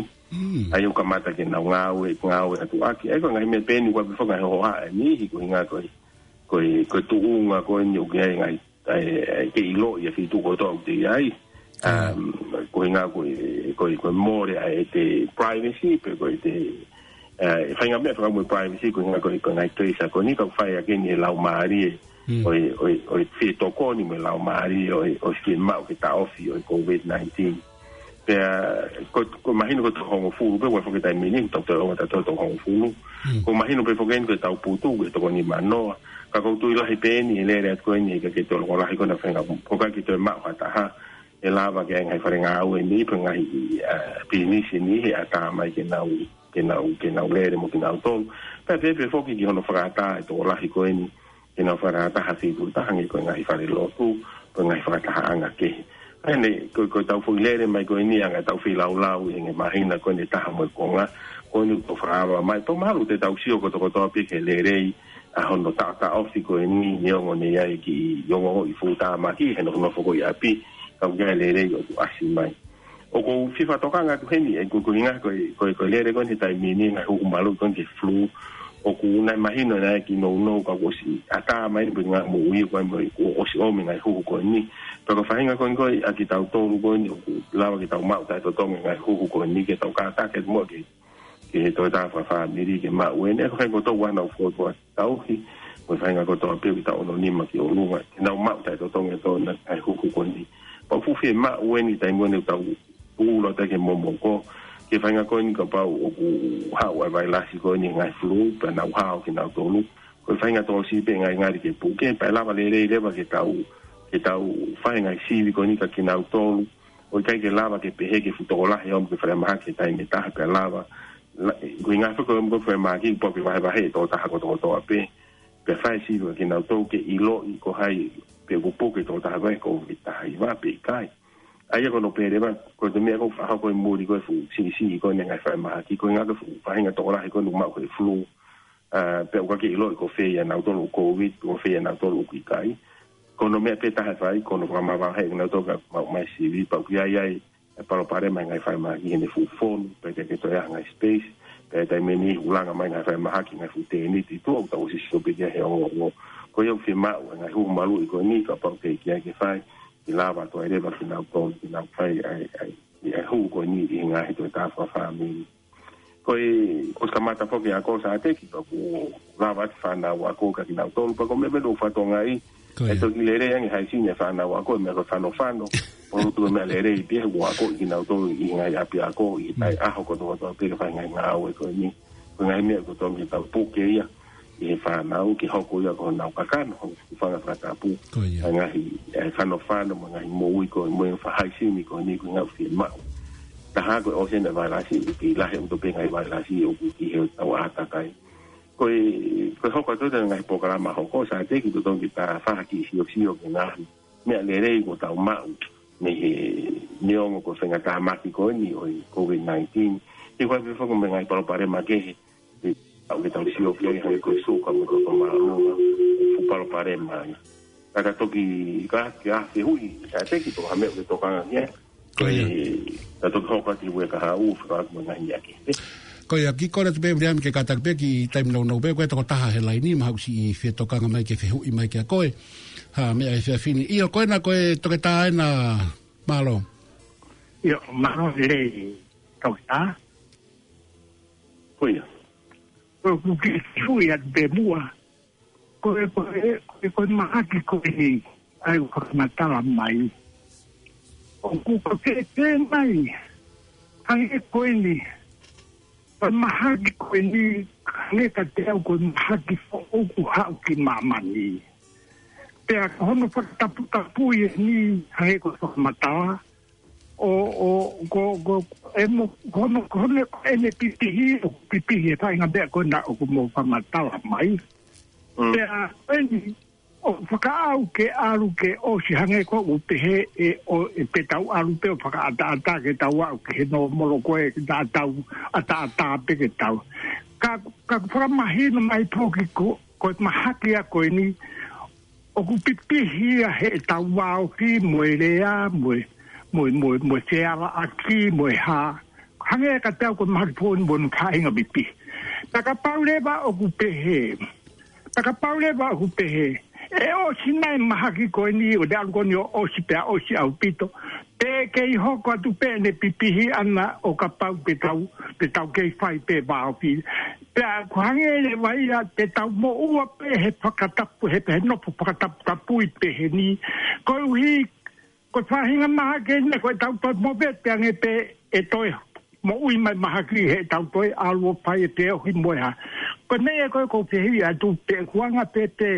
ʻA ia ʻoku kamata ke nau ngāue, ngāue atu ʻaki. ʻA ia ko e ngaahi meʻa pē eni ʻoku ʻi ai pē foki e ngaahi hohaʻa ʻe niʻihi ko e ʻuhinga ko e, ko e, ko e tuʻunga ko eni ʻoku ʻi ai e ngaahi, ʻa e, ʻa e ke ʻiloʻi ʻa e feituʻu kotoa ʻoku te ʻi ai. Um, ko e ʻuhinga ko e, ko e, ko e mole ʻa e te privacy, pe ko e te, ʻa e faʻahinga meʻa fakamoʻui privacy, ko e ʻuhinga ko e, ko e ngaahi tracer ko eni ka ʻoku fai ʻaki eni he laumālie ʻo e, ʻo e, ʻo e fie tokoni mo e laumālie ʻo e, ʻo e fiemaʻu ke taʻofi ʻo e COVID nineteen. Pea, ko, ko e mahino ko e toko hongofulu pē, ʻoku ʻi ai foki e taimi ni, tau toe ʻoua ʻe tau toe toko hongofulu. Ko e mahino pē foki eni ko e tau putu, ko e toko nimanoa. Ka ʻoku ou tui lahi pē eni, ʻe lele atu ko eni, ʻikai ke toe loko lahi ko ena faʻahinga, ʻoku ʻikai ke toe maʻu ha taha, ʻe lava ke ʻi ai ngaahi fale ngāue ni, pe ngaahi, ʻa, pisinisi ni, he ʻatā mai ke nau, ke nau, ke nau lele mo kinautolu. Pea pehē pē foki ki hono fakaʻatā e tokolahi ko eni, ke nau fakataha feituʻu taha hangē ko e ngaahi falelotu, ko e ngaahi fakatahaʻanga kehe. ʻA ia ne, ko, ko e tau foʻi lele mai ko eni ʻa e tau feilaulau ʻi he ngaahi māhina ko eni ʻe taha mo e konga, ko eni ʻoku tau fakaava mai. Pea mahalo te tau sio kotokotoa pē ki he lelei ʻa hono taʻotaʻofi ko eni neongo ne ʻi ai e kiʻi ongoʻi fuʻu tāmaki he nofonofo ko ē ʻi ʻapi, ka ʻoku ʻi ai e lelei ʻoku ʻasi mai. ʻOku ou fie fakatokanga atu heni, ʻa ia ko e, ko e ʻuhinga ko e, ko e, ko e lele ko eni he taimi ni ngaahi huhu maluʻi ko eni ki he flu. ʻOku nau mahino naʻe ʻi ai e kiʻi nounou ka kuo ʻosi ʻatā mai pē ngaahi moʻui ko ē mo e kuo ʻosi ʻomi e ngaahi huhu ko eni. Pea ko e faʻahinga ko eni ko ē ʻa kitautolu ko eni ʻoku lava ke tau maʻu taʻetotongi e ngaahi huhu ko eni ke tau kātaki mo ke, ke he toe tā fakafāmili ke maʻu eni. Ko e faʻahinga kotoa ʻoku nau fokotuʻu ʻa tauhi, mo e faʻahinga kotoa pē ʻoku tau ono nima ki ʻolunga, ke nau maʻu taʻetotongi ʻa e toe ngaahi huhu ko eni. Pea ʻoku fuʻu fiemaʻu eni taimi ko eni ʻoku tau pulu atu ki he momoko, ki he faʻahinga ko eni kapau ʻoku haʻu ʻa e vailasi ko eni ngaahi flu, pea nau hao kinautolu. Ko e faʻahinga tō siʻi pē ngalingali ke puke, pea ʻe lava lelei leva ke tau, ke tau fai e ngaahi sivi ko eni kia kinautolu. ʻOku ʻikai ke lava ke pehē ke fuʻu tokolahi ʻo ʻomi ki he falemahaki he taimi ʻe taha pea lava. La, ko e ʻuhinga foki ko e ʻomi ki he falemahaki, pau ke vahevahe e tokotaha kotokotoa pē. Pea fai sivi kia kinautolu ke ʻiloʻi ko hai pe ʻoku puke e tokotaha ko ē he COVID taha hiva pe ʻikai. ʻA ia ko hono pehē leva, ko e meʻa ko ē ʻoku fakahoko ʻi muli ko e fuʻu siʻisiʻi ko eni e ngaahi falemahaki, ko e ʻuhinga ko e fuʻu faʻahinga tokolahi ko eni ʻoku maʻu he flu. ʻA, pea ʻoku ʻikai ke ʻiloʻi ko fē ʻia nautolu ʻoku COVID, ko fē ʻia nautolu ʻoku ʻikai. Ko hono meʻa pē taha ʻe fai, ko hono fakamavaheʻi kinautolu kae maʻu mai sivi, pea ʻoku ʻi ai ai e palopalema e ngaahi falemahaki he ne fuʻu fonu, pea ʻikai ke toe ʻi ai ha ngaahi space, pea ʻi he taimi ni ʻoku langa mai e ngaahi falemahaki, ngaahi fuʻu tēniti, tuʻa ʻoku tau ʻosi sio pē ki ai he ongoongo. Ko ia ʻoku fiemaʻu e ngaahi huhu maluʻi ko eni, kapau ʻoku teʻeki ai ke fai, ke lava atu ai leva kinautolu, ke nau fai ʻa e, ʻa e, ʻa e huhu ko eni ʻi he ngaahi toe tā fakafāmili. Ko e, ʻosi kamata foki e ako Sāteki, pea ʻoku lava atu e fānau ako kia kinautolu, pea ko e meʻa pē ʻoku fatongia ai, ʻe toki lelei ange haʻisi e fānau ako, meʻa ko e fanofano, ʻoku tuʻu e meʻa lelei pē ʻoku ako ʻe kinautolu ʻi he ngaahi ʻapiako, ʻi he taʻeʻaho kotokotoa pē ke fai e ngaahi ngāue ko eni, ko e ngaahi meʻa ʻoku totonu ke tau puke ia, ʻi he fānau, ke hoko ia ko honau kakano, honau fanga fakatapu, ʻa e ngaahi, ʻa e fanofano, mo e ngaahi moʻui ko ē, mo e faʻahi sini ko eni, ko e ngaahi fiemaʻu. Taha ko e ʻosi eni e vailasi, ʻoku kei lahi ʻaupito pē ngaahi vailasi, ʻoku kei ʻi hotau ʻātakai. Ko e, ko e hoko atu e ngaahi polokalama hoko, Sāteki, totonu ke ta fai ha kiʻi siosio ki he ngaahi meʻa lelei kuo tau maʻu, mei he neongo ko e faʻahinga tāmaki ko eni ʻo e COVID nineteen. He ko e pē foki mo e ngaahi palopalema kehe, ʻe, ʻoku tau sio ki ai hangē ko e suka mo e toto māʻolunga, fuʻu palopalema ia. Ka ta toki, ka, ka fehuʻi, Sāteki, pe ko ha meʻa ʻoku ke tokanga ki ai. Ko ia. Ka toki hoko atu ki he uike kahaʻu, fekauʻaki mo e ngaahi meʻa kehe. Ko ia, kiʻi kole atu pē Viliami ke kātaki pē kiʻi taimi nounou pē, ko e tokotaha he laini, mahalo ʻoku siʻi fie tokanga mai ke fehuʻi mai kia koe. Ha meʻa he efiafi ni. ʻIo, ko ena ko e toketā ena, mālō. ʻIo, mālō lelei, toketā. Ko ia. Ko e kuki sui atu pē muʻa. Ko e, ko e, ko e, ko e mahaki ko eni, ʻa ia ʻoku fakamatala mai. ʻOku, ʻoku ke pehē mai, hangē ko eni, ko e mahaki ko eni, hangē kiate au ko e mahaki foʻou kuo haʻu ki māmani. Pea ko hono fakataputapui eni, hangē ko e fakamatala, ʻo, ʻo, ko, ko, e mo, ko hono, ko hono, ʻene pipihi, ʻoku pipihi e faʻahinga meʻa ko ena ʻoku mou fakamatala mai. Mm. Pea, eni, ʻoku fakaʻau ke ʻalu ke ʻosi hangē ko ʻeku pehē ʻe, ʻo, ʻe te tau ʻalu pē ʻo fakaʻataʻatā ke tau aʻu ki he nōmolo ko ē ke tau ʻataʻatā pē ke tau. Ka, ka fakamahino mai foki ko, ko e mahaki ia ko eni, ʻoku pipihi ia heʻetau vāofi mo e lea, mo e, mo e, mo e, mo e fealaʻaki, mo e hā. Hangē ka tau ko e mahaki foʻou mo hono faʻahinga pipihi. Pea kapau leva ʻoku pehē. Pea kapau leva ʻoku pehē. ʻE ʻosi nai mahaki ko eni, ʻo te ʻalu ko eni ʻo ʻosi pea ʻosi ʻaupito. Pe kei hoko atu pē ʻene pipihi ʻana ʻo kapau te tau, te tau kei fai pē vāofi. Pea ko e hangē leva ia te tau moʻua pē he fakatapu, he, he nofo fakataputapui pehē ni. Koeʻuhi, ko e faʻahinga mahaki eni ko ʻetau toe movete ange pē ʻe toe moʻui mai mahaki heʻetau toe ʻalu ʻo fai e feohi mo e hā. Ko e meʻa ko ē ʻoku ou fehuʻi atu pē ʻoku anga pē pē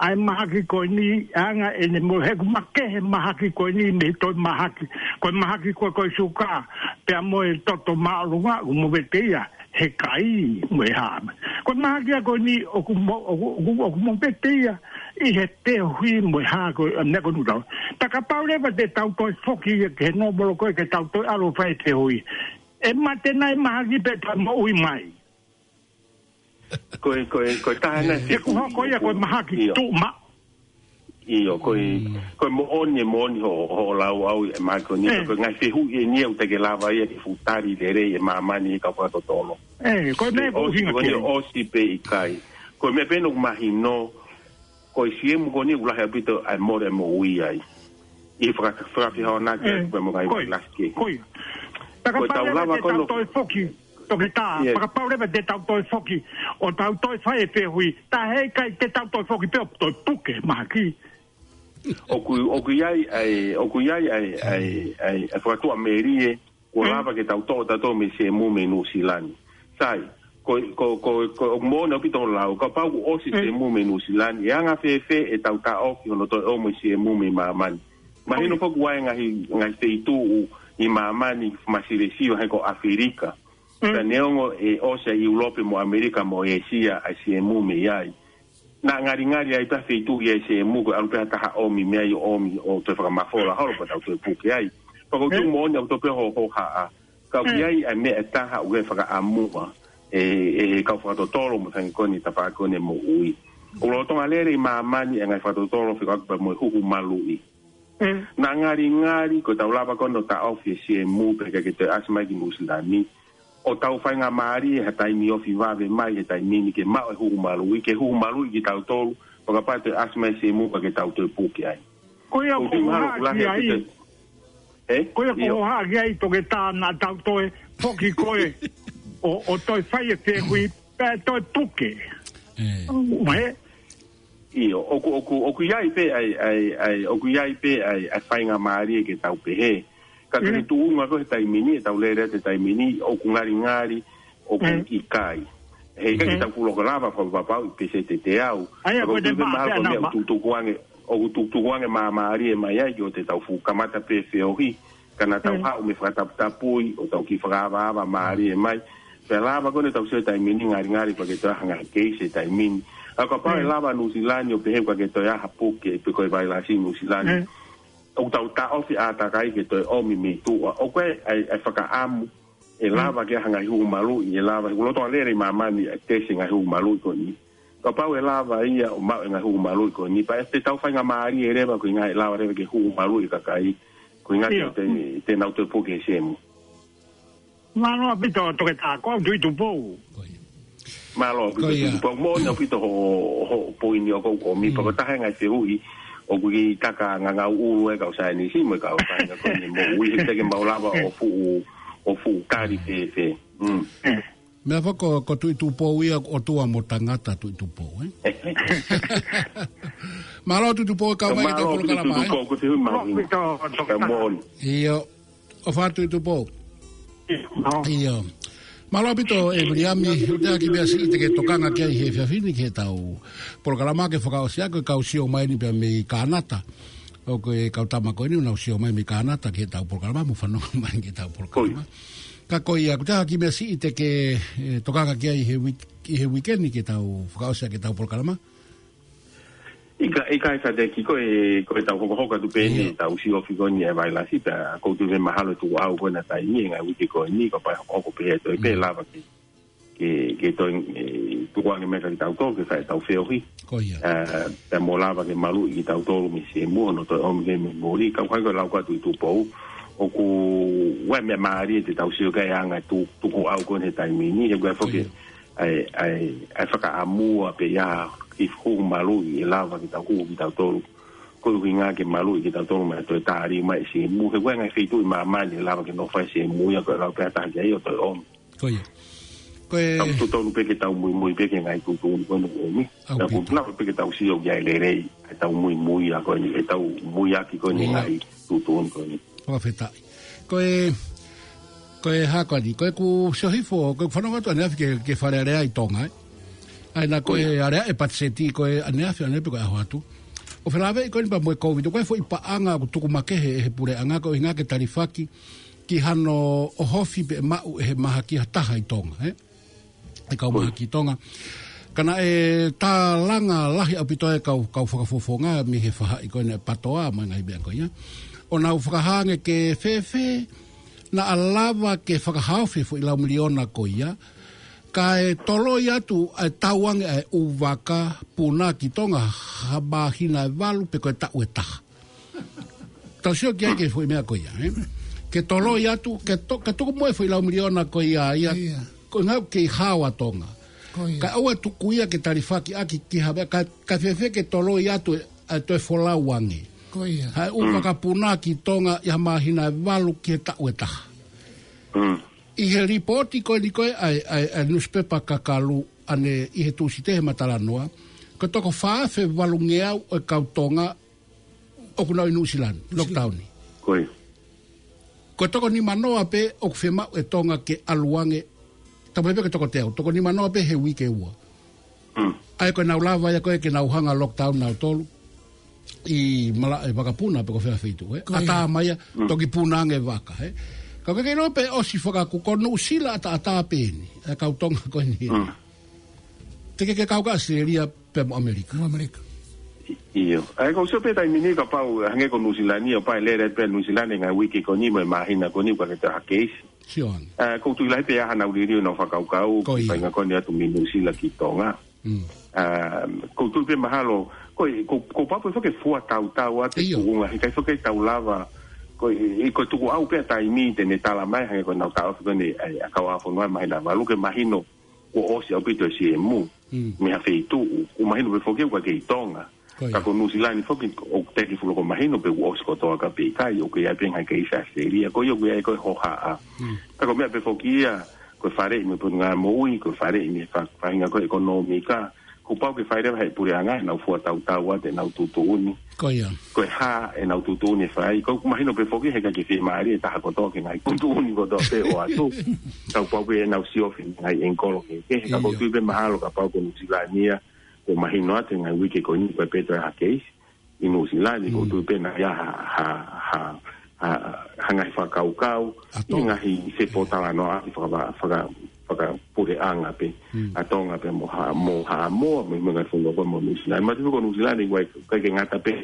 ʻa e mahaki ko eni, anga ʻene mo he ʻoku makehe mahaki ko eni mei he toe mahaki. Ko e mahaki ko ē ko e suka, pea mo e toto māʻolunga ʻoku movete ia he kai mo e hā. Ko e mahaki ia ko eni ʻoku mo-, ʻoku, ʻoku, ʻoku movete ia ʻi he feohi mo e hā ko e, meʻa ko ē ʻoku tau. Pea kapau leva te tau toe foki ia ki he nōmolo ko ē ke tau toe ʻalu ʻo fai e feohi. ʻE mate nai mahaki pe toe moʻui mai. Ko e, ko e, ko e taha nai. He ʻoku hoko ia ko e mahaki. ʻIo. Tuʻu ma. ʻIo, ko e, mm, ko e moʻoni, e moʻoni hoʻo, hoʻo lau ʻaʻau ʻi he mahaki ko eni, ē, ko e ngaahi fehuʻi eni ia ʻoku teʻeki ke lava ia ke fuʻu tali lelei ʻe māmani he kau fakatotolo. Ē, ko e meʻa ʻoku ʻosi ʻuhinga ko eni, ki ai. ʻOsi pe ʻikai. Ko e meʻa pē ʻoku mahino, ko e siemu ko eni ʻoku lahi ʻaupito ʻa e mole moʻui ai. ʻI he faka-, fakafehoanaki, ē, atu pē mo e ngaahi, ko ia, vailasi kehe. Ko ia. Ko e tau lava ko ē ʻo toe foki. Toketā, yes, pea kapau leva te tau toe foki, ʻo tau toe fai e feohi, tā heʻikai te tau toe foki pē ʻo toe puke mahaki. ʻOku, ʻoku ʻi ai ʻa e, ʻoku ʻi ai ʻa e, ʻa e, ʻa e, ʻa e fakatuʻamelie, kuo, mm, lava ke tau toʻo tautolu mei siemu mei Nuʻusila ni. Sai, ko, ko, ko, ko, ʻoku moʻoni ʻaupito hoʻo lau, kapau kuo ʻosi, mm, siemu mei Nuʻusila ni, ʻe anga fēfē ʻetau taʻofi hono toe ʻomai siemu mei māmani. Mahino, oh, foki ʻoku ʻi ai e ngaahi, ngaahi feituʻu ʻi māmani, Masilesia, hangē ko ʻAfilika. Mm. Pea neongo ʻe ʻosi ʻa ʻIulope mo ʻAmelika mo ʻĒsia ʻa e siemu mei ai, naʻa ngalingali ai pē ha feituʻu ia ʻi he siemu ko e ʻalu pē ha taha ʻomi mei ai ʻo ʻomi ʻo toe fakamafola holo pea tau toe puke ai. Pea ko e, mm, tuʻu moʻoni ʻaupito pē hoʻo, hoʻo hohaʻa. Ka ʻoku, mm, ʻi ai ʻa e meʻa ʻe taha ʻoku ʻi ai e fakaʻamu ʻe, ʻe, ʻe he kau fakatotolo mo e hangē ko eni tafaʻaki ko eni moʻui. ʻOku lolotonga lele ʻi māmani e ngaahi fakatotolo fekauʻaki pea mo e huhu maluʻi. Mm. Naʻa ngalingali, ko ʻetau lava ko eni ʻo taʻofi e siemu pea ʻikai ke toe ʻasi mai ki Nuʻusila ni, ʻo tau faingamālie ha taimi ofi vave mai he taimi ni ke maʻu e huhu maluʻi, ke huhu maluʻi kitautolu, fakapā toe ʻasi mai e siemu pea ke tau toe puke ai. Ko ia ʻoku ou hohaʻa ki ai. Ē? Ko ia ʻoku ou, ʻio, hohaʻa ki ai, Toketā, naʻa tau toe foki ko ē ʻo, ʻo toe fai e feohi, pea toe puke. Ē. Mai. ʻIo, ʻoku, ʻoku, ʻoku ʻi ai pē ʻa e, ʻa e, ʻa e, ʻoku ʻi ai pē ʻa e, ʻa e faingamālie ke tau pehē. Ka, mm, ko e tuʻunga ko ē he taimi ni, ʻetau lele atu he taimi ni, ʻoku ngalingali, ʻoku, mm, ʻikai. Heʻikai ke, mm, tau fuʻu loko lava fakapapauʻi pe se te te au. ʻA ia, ka ko e ʻoku ou tui pē mahalo ko e meʻa ʻoku tukutuku ange, ʻoku tukutuku ange māmālie mai ai, ʻo te tau fuʻu kamata pē feohi. Ka naʻa tau, mm, haʻu mei he fakataputapui, ʻo tau kiʻi fakaavaava mālie mai. Pea lava ko eni ʻetau sio he taimi ni, ngalingali pea ke toe ʻi ai ha ngaahi keisi he taimi ni. Ka kapau ʻe, mm, lava Nuʻusila ni ʻo pehē ʻoku ʻikai ke toe ʻi ai ha puke pe ko e vailasi Nuʻusila ni, mm, ʻoku tau taʻofi ʻātakai ke toe ʻomi mei tuʻa. ʻOku ʻi ai, ʻa e, ʻa e fakaʻamu ʻe, mm, lava ke ʻi ai ha ngaahi huhu maluʻi, ʻe lava, ʻoku lolotonga lele ʻi māmani ʻa e tesi e ngaahi huhu maluʻi ko eni. Kapau ʻe lava ia ʻo maʻu e ngaahi huhu maluʻi ko eni, pea ʻe te tau faingamālie leva, ko e ʻuhinga ʻe lava leva ke huhu maluʻi e kakai, ko e ʻuhinga, ʻio, te, te nau toe puke he siemu. Mālō ʻaupito, Toketā, ko au Tuʻi Tupou. Ko ia. Mālō ʻaupito, ko ia, Tuʻi Tupou. Moʻoni ʻaupito hoʻo, hoʻo poini ʻoku ʻomi, mm, pea ko e taha e ngaahi fehuʻi ʻoku kiʻi taka ngangau ʻulu e kau saienisi mo e kau faʻahinga ko eni moʻui, he teʻeki ke mau lava ʻo fuʻu, ʻo fuʻu tali fēfē. Mm. Mm. Meʻa foki ko, ko Tuʻi Tupou ia, ʻotua mo tangata Tuʻi Tupou, ē? Mālō Tuʻi Tupou, kau mai ki heʻetau polokalama, ē? Mālō Tuʻi Tupou, ko e fehuʻi mahuʻinga. Mālō ʻaupito, Toketā. Ka moʻoni. ʻIo. ʻOfa atu Tuʻi Tupou. ʻIo. ʻIo. Mālō ʻaupito, ʻe Viliami, ʻoku ʻi ai ha kiʻi meʻa siʻi te ke tokanga ki ai he efiafi ni ki heʻetau polokalama ke fakaʻosi ʻaki, ko e kau sio mai eni pea mei Kānata. ʻoku ʻi ai e kau tama ko eni, ʻoku nau sio mai mei Kānata ki heʻetau polokalama, mo fanongo mai ki heʻetau polokalama. Ko ia. Ka ko ia, ko e taha e kiʻi meʻa siʻi te ke, ʻe, tokanga ki ai he wik-, ʻi he uike ni ke tau fakaʻosi ʻaki ʻetau polokalama? ʻIkai, ʻikai Fateki, ko e, ko ʻetau hokohoko atu pē eni, ʻetau siofi ko eni e vailasi, pea ʻoku ou tui mahalo ʻe tukuʻau ko ena taimi, ngaahi uike ko eni, kapau ʻe hokohoko pē ʻe toe pē lava ke, ke, ke toe, ʻe, tukuange mai kiate kitautolu, ke fai ʻetau feohi. Ko ia. ʻE, pea mo lava ke maluʻi kitautolu mei he siemu, ʻo toe ʻomi ke mei muli, ka ʻoku ʻikai ko e lau ko ē atu ʻi Tupou, ʻoku ʻi ai e meʻa mālie te tau sio ki ai anga tu-, tukuʻau ko eni he taimi ni, he ʻoku ʻi ai foki ʻa e, ʻa e, ʻa e fakaʻamua pē ia ki he fuʻu maluʻi ʻe lava ke tau hū kitautolu. Ko e ʻuhinga ke maluʻi kitautolu mei he toe tali mai e siemu. He ʻoku ʻi ai e ngaahi feituʻu ʻi māmani ʻe lava ke nofo ai e siemu ia ko e lau pē ʻe taha ki ai ʻo toe ʻomi. Ko ia. Ko e tau totonu pē ke tau muimui pē ki he ngaahi tuʻutuʻuni ko eni ʻoku ʻomi. ʻAupito. Tau totonu pē ke tau sio ki ai lelei, ʻetau muimui ia ko eni, ʻetau muiaki ko eni ngaahi tuʻutuʻuni ko eni. Fakafetaʻi. Ko e, ko e hā ko eni, ko ʻeku sio hifo, ko ʻeku fanongo atu ʻaneafi ki he, ki he Fale Alea ʻi Tonga, ē. ʻA ia naʻa ko e Alea ʻe Patiseti, ko e ʻaneafi ʻanepē ko e ʻaho atu. ʻO felāveʻi ko eni pea mo e Kōviti, ko e foʻi paʻanga ʻoku tuku makehe ʻe he puleʻanga, ko e ʻuhinga ke talifaki ki hano ʻohofi pe maʻu ʻe he mahaki ha taha ʻi Tonga, ē. ʻE kau mahaki ʻi Tonga. Ka naʻe tālanga lahi ʻaupito e kau, kau fakafofonga mei he faʻahi ko eni ʻa e PATOA mo e ngaahi meʻa ko ia. ʻO nau fakahā ange ke fēfē naʻa lava ke fakahaofi e foʻi lau miliona ko ia. Kae toloi atu ʻa e tauange ʻa e ʻū vaka puna ki Tonga ha māhina ʻe valu pe ko e taʻu ʻe taha. Tau sio ki ai ki he foʻi meʻa ko ia, ē? Ke toloi atu, ke to-, ke tuku mo e foʻi lau miliona ko ia, ia. Ko e ʻuhinga ʻoku kei hao ʻa Tonga. Kae ʻoua ʻe tuku ia ke talifaki ʻaki ki ha meʻa, ka, ka fēfē ke toloi atu ʻa e toe folau ange. Ko ia. Ha ʻū vaka puna ki Tonga ʻi ha māhina ʻe valu ki he taʻu ʻe taha. ʻI he lipooti ko eni ko ē ʻa e, ʻa e, ʻa e nusipepa Kakalu ʻanenai ʻi he Tūsite he matalanoa, ko e toko fā afe valungeau ʻo e kau Tonga ʻoku nau ʻi Nuʻusila ni, lockdown. Ko ia. Ko e toko nima noa pē ʻoku fiemaʻu ʻe Tonga ke ʻalu ange, tau pehē pē ko e toko teau, toko nima noa pē he uike ua. ʻA ia ko e nau lava ia ko ē ke nau hanga lockdown nautolu ʻi malaʻe vakapuna pe ko fē feituʻu, ē. Ko ia. ʻAtā mai ia, toki puna ange vaka, ē. Ka ko e kei noa pē ʻosi fakakuku, ko Nuʻusila ʻataʻatā pē eni, ʻa e kau Tonga ko eni. Te ke, ke kau ki ʻAositelēlia pea mo ʻAmelika. Mo ʻAmelika. ʻIo. ʻA ia ʻoku ou sio pē taimi ni kapau, hangē ko Nuʻusila ni, ʻo pau ʻe lele pē Nuʻusila ni ngaahi uike ko eni mo e māhina ko eni ʻoku ʻikai ke toe ha keisi. Sio ange. ʻA, ʻoku ou tui lahi pē ʻa haʻanau liliu ʻenau fakakaukau, ko ia. Faʻahinga ko eni atu mei Nuʻusila ki Tonga. ʻA, ʻoku ou tui pē mahalo, ko e, ʻoku, ʻoku pau pē foki ke fua tautau atu e tuʻunga, he ʻikai foki ke tau lava, ko e, ko e tukuʻau pē ʻa e taimi te ne tala mai, hangē ko ʻenau taʻofi ko eni, ʻa e, ʻa e kau ʻaho fonua māhina ʻe valu ke mahino kuo ʻosi ʻaupito e siemu mei ha feituʻu, ʻoku mahino pē foki ʻoku ʻikai kei Tonga. Ko ia. Ka ko Nuʻusila ni foki ʻoku teʻeki fuʻu loko mahino pe kuo ʻosi kotoa ka pe ʻikai, ʻoku ʻi ai pē ngaahi keisi ʻAositelēlia. Ko ia ʻoku ʻi ai ko e hohaʻa. Ka ko e meʻa pē foki ia, ko e faleʻi mei he Potungāue Moʻui, ko e faleʻi mei he fa-, faʻahinga ko e ʻekonōmika, kuo pau ke fai leva ʻe he puleʻanga ʻenau fua tautau atu ʻenau tuʻutuʻuni. Ko ia. Ko e hā ʻenau tuʻutuʻuni ʻe fai. ʻOku mahino pē foki he ʻikai ke fiemālie e taha kotoa ki he ngaahi tuʻutuʻuni kotoa pē ʻoatu. Ka kuo pau ke ʻenau siofi ngaahi ʻengikolo kehekehe. Ka ʻoku ou tui pē mahalo kapau ko Nuʻusila ni ia, kuo mahino atu he ngaahi uike ko eni ʻoku ʻikai pē toe ha keisi ʻi Nuʻusila ni, ʻoku ou tui pē naʻa ʻi ai ha, ha, ha, ha, ha ngaahi fakakaukau, ʻi he ngaahi fepōtalanoaʻaki faka-, faka-, fakapuleʻanga pē ʻa Tonga pea mo Ha-, mo Haʻamoa, mo e ngaahi fonua ko ē mo Nuʻusila. Mahalo pē ko Nuʻusila ni ʻoku ʻikai ke ngata pē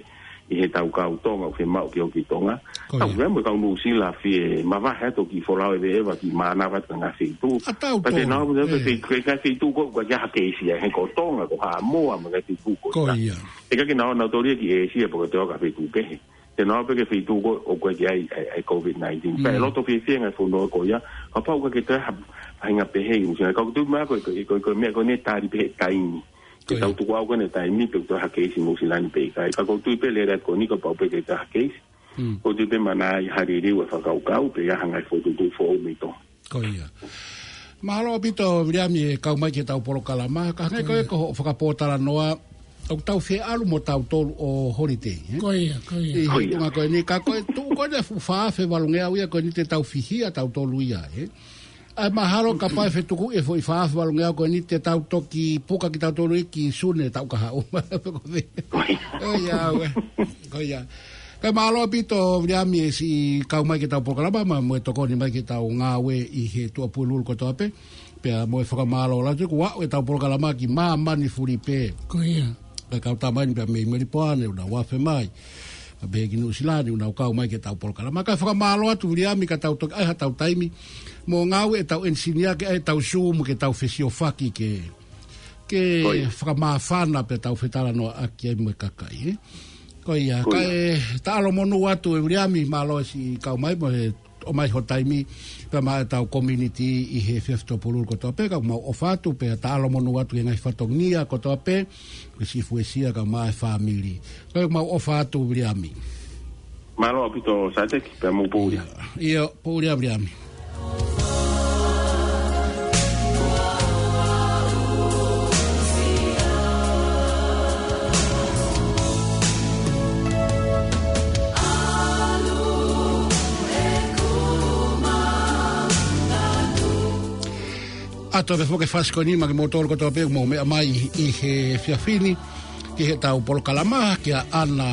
ʻi heʻetau kau Tonga ʻoku fiemaʻu ke ō ki Tonga. Ko ia. Tau ia mo e kau Nuʻusila fie mavahe atu ki folau ʻeveʻeva ki mānava atu ki he ngaahi feituʻu. ʻA tautolu. Pea te nau, ʻe, pe, pe, ki he ngaahi feituʻu ko ē ʻoku ʻikai ha keisi ai, he ko Tonga, ko Haʻamoa, mo e ngaahi feituʻu ko ia. Ko ia. ʻIkai ke nau, nau tōlia ki ʻĒsia pe ko e toe ʻo ka feituʻu kehe. Te nau pē ki he feituʻu ko ē ʻoku ʻikai ke ʻi ai, ʻi ai, ʻi ai e Covid nineteen. Pea ʻe loto fiefia e ngaahi fonua ko ia, kapau ʻoku ʻikai ke toe ha, ha faʻahinga pehē ʻi Nuʻusila. Ka ʻoku ou tui mahalo ko e, ko e, ko e meʻa ko eni ʻe tali pē he taimi. Ke tau tukuʻau ko eni he taimi pe ʻoku toe ha keisi ʻi Nuʻusila ni pe ʻikai. Ka ʻoku ou tui pē lele atu ko eni kapau pē ʻoku ʻikai toe ha keisi. ʻOku ou tui pē manatuʻi ha liliu e fakakaukau, pe ʻi ai ha ngaahi fokotuʻutuʻu foʻou mei Tonga. Ko ia. Mahalo ʻaupito, Viliami, e kau mai ki heʻetau polokalama, ka hangē ko e, ko hoʻo fakapōtalanoa, ʻoku tau fie ʻalu mo tautolu ʻo holiday, ē? Ko ia, ko ia. ʻI he tuʻunga ko eni, ka ko e tuʻu ko eni ʻa e fuʻu fā afe valungeau ia ko eni te tau fihia tautolu ia, ē? ʻA ia mahalo kapau ʻe fetukuʻi e foʻi fā afe valungeau ko eni te tau toki puka kitautolu ia ki Sune taʻu kahaʻu. Ko ia, ʻoe. Ko ia. Kae mālō ʻaupito Viliami e siʻi kau mai ki heʻetau polokalama, mo e tokoni mai ki heʻetau ngāue ʻi he Tuʻapulelulu kotoa pē. Pea mo e fakamālō lahi atu kuo aʻu ʻetau polokalama ki māmani fuli pē. Ko ia. Kae kau tā mai ni pea mei Melipoane, ʻoku nau afe mai. Pea pehē ki Nuʻusila ni, ʻoku nau kau mai ki heʻetau polokalama. Kae fakamālō atu Viliami ka tau toki ʻai haʻatau taimi mo ngāue ʻetau enisinia ke ʻai ʻetau Zoom ke tau fesiofaki ke, ke Ko ia. fakamāfana pea tau fetalanoaʻaki ai mo e kakai, ē. Ko ia, Ko ia. kae taʻalo monū atu e Viliami, mālō e siʻi kau mai mo e ʻomai ho taimi pea maʻa ʻetau community ʻi he efiafi Tuʻapulelulu kotoa pē, kae mau ʻofa atu pea taʻalo monū atu ki he ngaahi fatongia kotoa pē, ki he siʻi fuesia kae maʻa e fāmili. Kae mau ʻofa atu Viliami. Mālō ʻaupito Sateki, pea mou pō ʻuli. ʻIo, pō ʻuli Viliami. ʻA e toe foki e fasi ko eni maʻa kimoutolu kotoa pē ʻoku mou meʻa mai ʻi he efiafi ni ki heʻetau polokalama, kia ʻAna,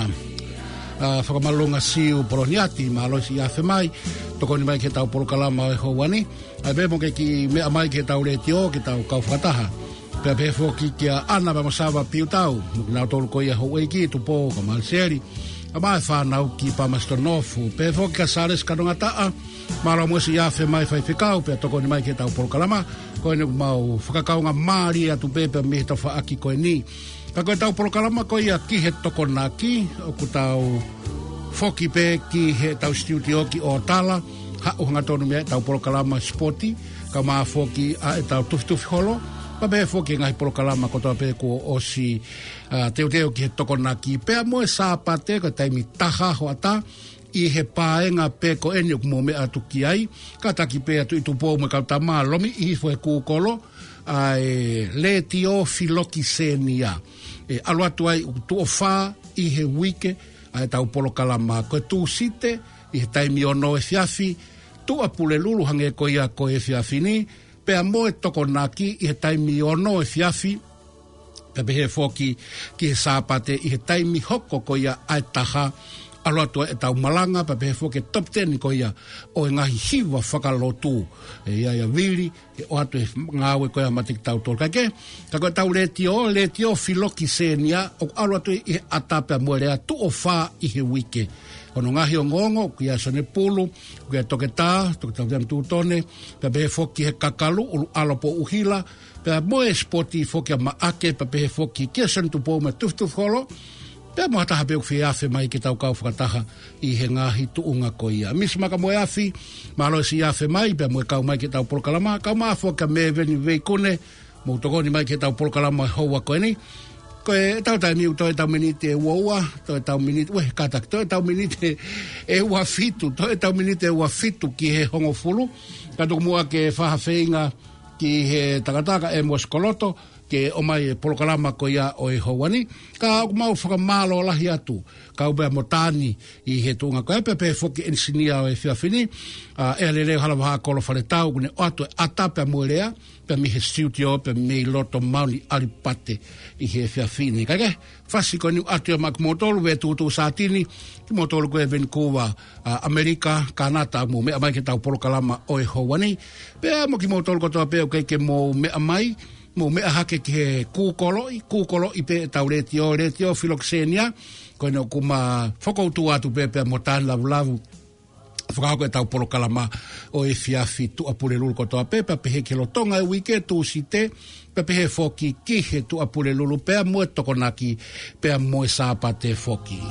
ʻa, Fakamalunga Siu Poloniati, mālō e siʻi afe mai, tokoni mai ki heʻetau polokalama ʻo e houa ni. ʻA ia pē mo e kiʻi meʻa mai ki heʻetau letiō, ki heʻetau kau fakataha. Pea pehē foki kia ʻAna pea mo Sava Piutau, mo kinautolu ko ia houʻeiki, Tupou kae maʻa Seli, kae maʻa e fānau ki Palmerston North. Pehē foki kia Sālesi Kanongataʻa, mālō mo e siʻi afe mai faifekau, pea tokoni mai ki heʻetau polokalama. Ko eni ʻoku mau fakakaungāmālie atu pē pea mei he tafaʻaki ko eni. Ka ko ʻetau polokalama ko ia ki he Tokonaki, ʻoku tau foki pē ki heʻetau studio ki ʻOtala, haʻu hangatonu mei ai ʻetau polokalama sipoti, kae maʻa foki ʻa ʻetau tufitufi holo, pea pehē foki e ngaahi polokalama kotoa pē kuo ʻosi, ʻa, teuteu ki he Tokonaki. Pea mo e Sāpate, ko e taimi taha hoʻatā, ʻi he paenga pē ko eni ʻoku mou meʻa atu ki ai, kātaki pē ʻa Tuʻi Tupou mo e kau tama, lomiʻi hifo he kūkolo ʻa e Letiō Filokisenia. ʻE ʻalu atu ai ʻoku tuʻo fā ʻi he uike ʻa ʻetau polokalama, ko e Tūsite ʻi he taimi ono efiafi, Tuʻapulelulu hangē ko ia ko e efiafi ni, pea mo e Tokonaki ʻi he taimi ono efiafi, pea pehē foki ki he Sāpate ʻi he taimi hoko ko ia ʻa e taha, ʻalu atu ai ʻetau malanga, pea pehē foki e top ten ko ia ʻo e ngaahi hiva fakalotu. ʻE ʻi ai ʻa Vili, ʻe ʻoatu e ngāue ko ia maʻa kitautolu. Kae kehe, ka ko ʻetau letiō, Letiō Filokisenia, ʻoku ʻalu atu ʻi he ʻata pea mo e lea tuʻo fā ʻi he uike. Hono ngaahi ongoongo, ʻoku ʻi ai ʻa Sione Pulu, ʻoku ʻi ai ʻa Toketā, Toketā Viliami Tūtone, pea pehē foki ki he kakalu, ʻUluʻalopo ʻUhila, pea mo e sipoti foki ʻa Maʻake, pea pehē foki kia Sione Tupou mo e tufitufi holo, pea mo ha taha pē ʻoku fie afe mai ke tau kau fakataha ʻi he ngaahi tuʻunga ko ia. Misi Makamoeafi, mālō e siʻi afe mai, pea mo e kau mai ki heʻetau polokalama, kae maʻa foki ʻa Meveni Veikune, mou tokoni mai ki heʻetau polokalama he houa ko eni. Ko ʻetau taimi ʻoku toe ʻetau miniti ʻe ua ua, toe ʻetau miniti, ue, kātaki, toe ʻetau miniti ʻe ua fitu, toe ʻetau miniti ʻe ua fitu ki he hongofulu. Ka tuku muʻa ke fai ha feinga ki he tangata ko ʻEmosi Koloto, ke ʻomai e polokalama ko ia ʻo e houa ni. Ka ʻoku mau fakamālō lahi atu, kau pea mo Tani ʻi he tuʻunga ko ia, pea pehē foki e enisinia ʻo e efiafi ni, ʻa, ʻEa Leleo Halavahā Kolo Faletau, ʻoku ne ʻoatu e ʻata pea mo e lea, pea mei he studio, pea mei loto Mauni ʻAlipate ʻi he efiafi ni. Kae kehe, fasi ko eni ʻoatu ia maʻa kimoutolu, Vetutu Satini, kimoutolu ko ē Vancouver, ʻa, ʻAmelika, Kanata, mou meʻa mai ki heʻetau polokalama ʻo e houa ni. Pea mo kimoutolu kotoa pē ʻoku ʻikai ke mou meʻa mai, mou meʻa hake ki he kūkoloʻi, kūkoloʻi pē ʻetau letiō, Letiō Filokisenia, ko eni ʻoku ma fokoutua atu pē pea mo Tani Lavulavu, fakahoko ʻetau polokalama ʻo e efiafi Tuʻapulelulu kotoa pē, pea pehē ki he lolotonga e uike Tūsite, pea pehē foki ki he Tuʻapulelulu, pea mo e Tokonaki, pea mo e Sāpate foki.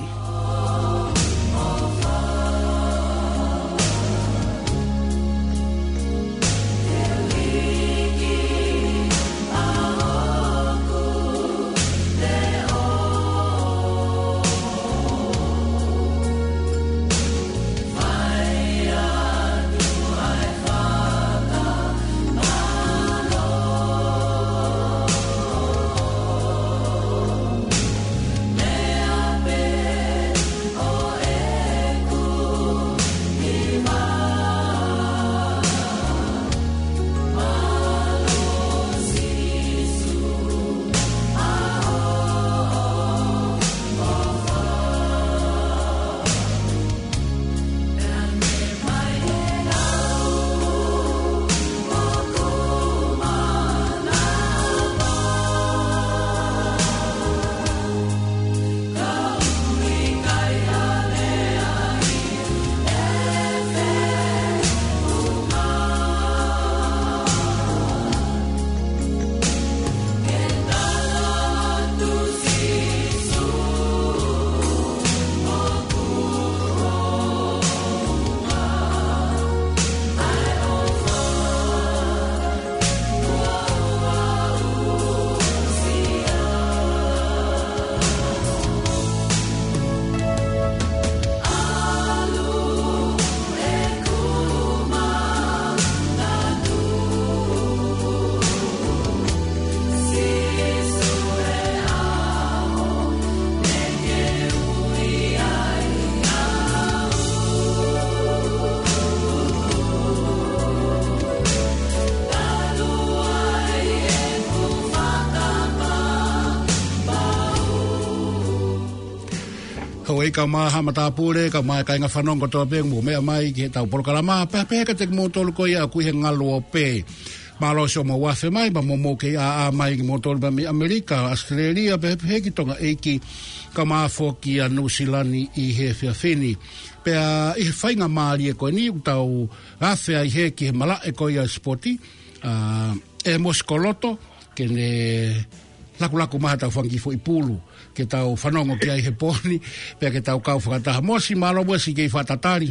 Kae ʻumaʻā haʻa matāpule, kae ʻumaʻā e kāinga fanongo kotoa pē ʻoku mou meʻa mai ki heʻetau polokalama, pea pehē kiate kimoutolu ko ia ʻoku ʻi he ngaluope. Mālō siʻomou afe mai, pea mo mou kei ʻāʻā mai kimoutolu pea mei ʻAmelika, ʻAositelēlia, pea pehē ki Tonga ʻEiki, kae ʻumaʻā foki ʻa Nuʻusila ni ʻi he efiafi ni. Pea ʻi he faingamālie ko eni ʻoku tau afe ai hē ki he malaʻe ko ia sipoti, ʻa, ʻe Mosi Koloto, ke ne lakulaku mai haʻatau fanga kiʻi foʻi pulu, ke tau fanongo ki ai he pō ni, pea ke tau kau fakataha. Mosi, mālō muʻa siʻi kei fakatatali.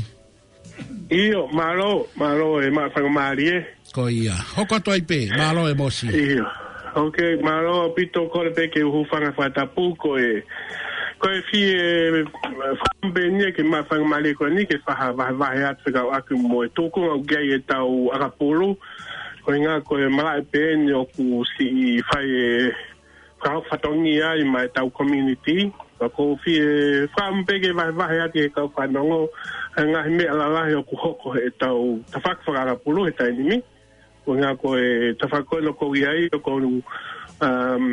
ʻIo, mālō, mālō e maʻu faingamālie. Ko ia. Hoko atu ai pē, mālō e Mosi. ʻIo. Ok, mālō ʻaupito, kole pē ke u hūfanga he fakatapu ko e, ko e fie, eh, fakaʻamu pē eni ke maʻu faingamālie ko eni ke fai ha vahevahe atu fekauʻaki mo e tūkunga ʻoku ʻi ai ʻetau ʻakapulu. Ko e ʻuhinga ko e malaʻe pē eni ʻoku siʻi fai e fakahoko fatongia ai maʻa ʻetau community. Pea ʻoku ou fie fakaʻamu pē ke vahevahe atu ki he kau fanongo e ngaahi meʻa lalahi ʻoku hoko heʻetau tafaʻaki fakaʻakapulu he taimi ni. Ko e ʻuhinga ko e tafaʻaki ko eni ʻoku ou ʻi ai, ʻoku ou, um,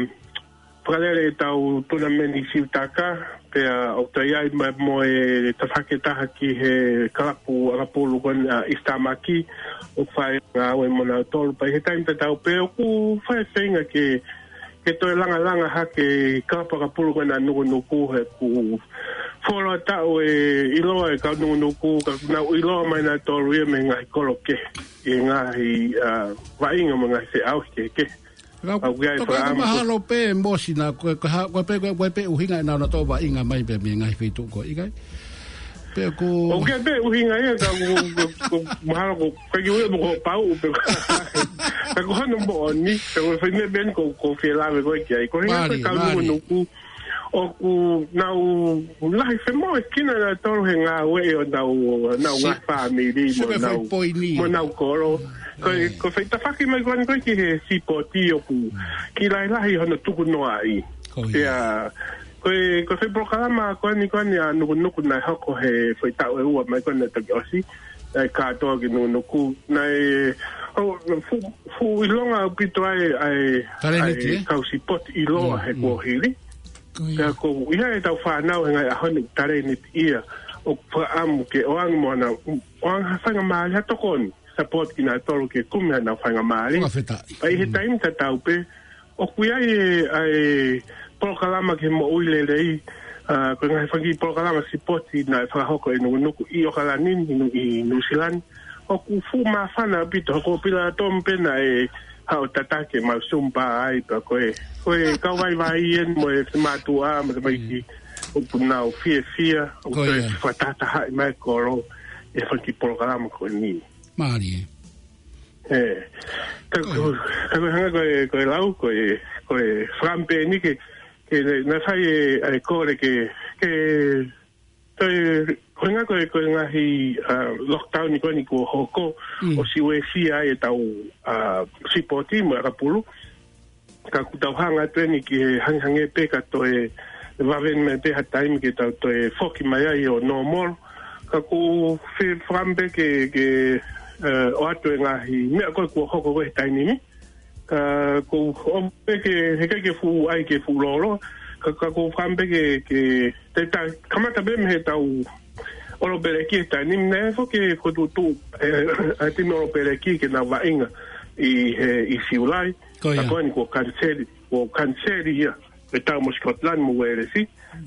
fakalele ʻetau tournament ʻi Siutaka, pea ʻoku toe ʻi ai mai mo e tafaʻaki ʻe taha ki he kalapu ʻakapulu ko eni ʻa East Tamaki, ʻoku fai ngāue mo nautolu. Pea ʻi he taimi tatau pē ʻoku fai e feinga ke, ke toe langalanga hake e kalapu ʻakapulu ko ena Nukunuku, he ʻoku fuoloa taʻu ʻe ʻiloa e kau Nukunuku, ka nau ʻiloa mai nautolu ia mei he ngaahi kolo kehe, ʻi he ngaahi, ah, vaʻinga mo e ngaahi feʻauhi kehekehe. Ka ʻoku ʻi ai e toki fakaʻamu ko mahalo pē Mosi naʻa ko e, ko e ha-, ko e pē, ko e, ko e pē ʻuhinga ʻenau nau tō vaʻinga mai pē mei he ngaahi feituʻu ko ē, ʻikai? Pea ko ʻoku ʻi ai pē ʻuhinga ia, ka ʻoku, ʻoku, ʻoku mahalo ko e, ko e kiʻi ue mo ko e pau pē. Ka ko hono moʻoni, ka ko e fai meʻa pē eni ʻoku, ʻoku ou fie lave ko ē ki ai. Ko e ʻuhinga ko e Mālie, kau mālie. Nukunuku, ʻoku nau lahi femoʻuekina nautolu he ngāue ʻo ʻenau, ʻenau Si-, ngaahi fāmili mo Sio ki he ʻenau, foʻi poini. Mo ʻenau kolo. Ko e, ʻĒ. Ko e fai tafaʻaki mai ko eni ko ē ki he sipoti ʻoku kiʻi lahilahi hono tukunoaʻi. Ko ia. Pea, ko e, ko e fai polokalama ko eni ko eni ʻa Nukunuku naʻe hoko he foʻi taʻu ʻe ua mai ko eni naʻe toki ʻosi, ʻa e kātoa ki Nukunuku. Naʻe, ʻo, fuʻu, fuʻu ʻilonga ʻaupito ai, ʻa e, Taleniti, ʻa e ē? Kau sipoti ʻiloa Mm, he mm. kuohili. Ko ia. Pea ʻoku ʻi ai ʻetau fānau he ngaahi ʻaho ni taleniti ia ʻoku fakaʻamu ke ʻoange mo ʻenau, ʻoange ha faingamālie ha tokoni, support kinautolu ke kumi haʻanau faingamālie. Fakafetaʻi. Pea ʻi he Mm. taimi tatau pē, ʻoku ʻi ai e, ʻa e polokalama ki he moʻui lelei, ah, ko e ngaahi fanga kiʻi polokalama sipoti naʻe fakahoko ʻe Nukunuku ʻi ʻOkalani ni, ʻi Nu-, ʻi Nuʻusila ni. ʻOku fuʻu māfana ʻaupito, ko Pilato pē naʻe haʻu ʻo tataki ʻemau Zumba ai, pea ko e, ko e kau vaivai eni mo e finemātuʻa, mo e tamaiki, Mm. ʻoku nau fiefia, ʻoku Ko toe ia. fakatahatahaʻi mai e kolo, ʻi he fanga kiʻi polokalama ko eni. Mālie. ʻĒ. Ka Ko ko, ia. ka ko e hanga ko e, ko e lau, ko e, ko e fakaʻamu pē eni ke, ke naʻe fai e, ʻa e kole ke, ke Ko e, ko e ʻuhinga ko e, ko e ngaahi, ah, lockdown ko eni kuo hoko, Mm. ʻosi uesia ai ʻetau, ah, sipoti mo e ʻakapulu. Ka ʻoku tau hanga atu eni ki he hangehangē pē ka toe vave mai pē ha taimi ke tau toe foki mai ai ʻo normal. Ka ʻoku ou fie fakaʻamu pē ke, ke, eh, ʻoatu e ngaahi meʻa ko ē kuo hoko ko ē he taimi ni. Ka ʻoku ou pehē ke, heʻikai ke fuʻu ʻai ke fuʻu lōloa. Ka, ka ʻoku ou fakaʻamu pē ke, ke, te ta, kamata pē mei heʻetau ʻolopeleki he taimi ni, naʻe foki ko e tuʻutuʻu, eh, ʻa e timi ʻolopeleki ke nau vaʻinga ʻi he, ʻi Siulai. Ko ia. Ka ko eni kuo kaniseli, kuo kaniseli ia. ʻE tau mo Scotland mo Uēlesi.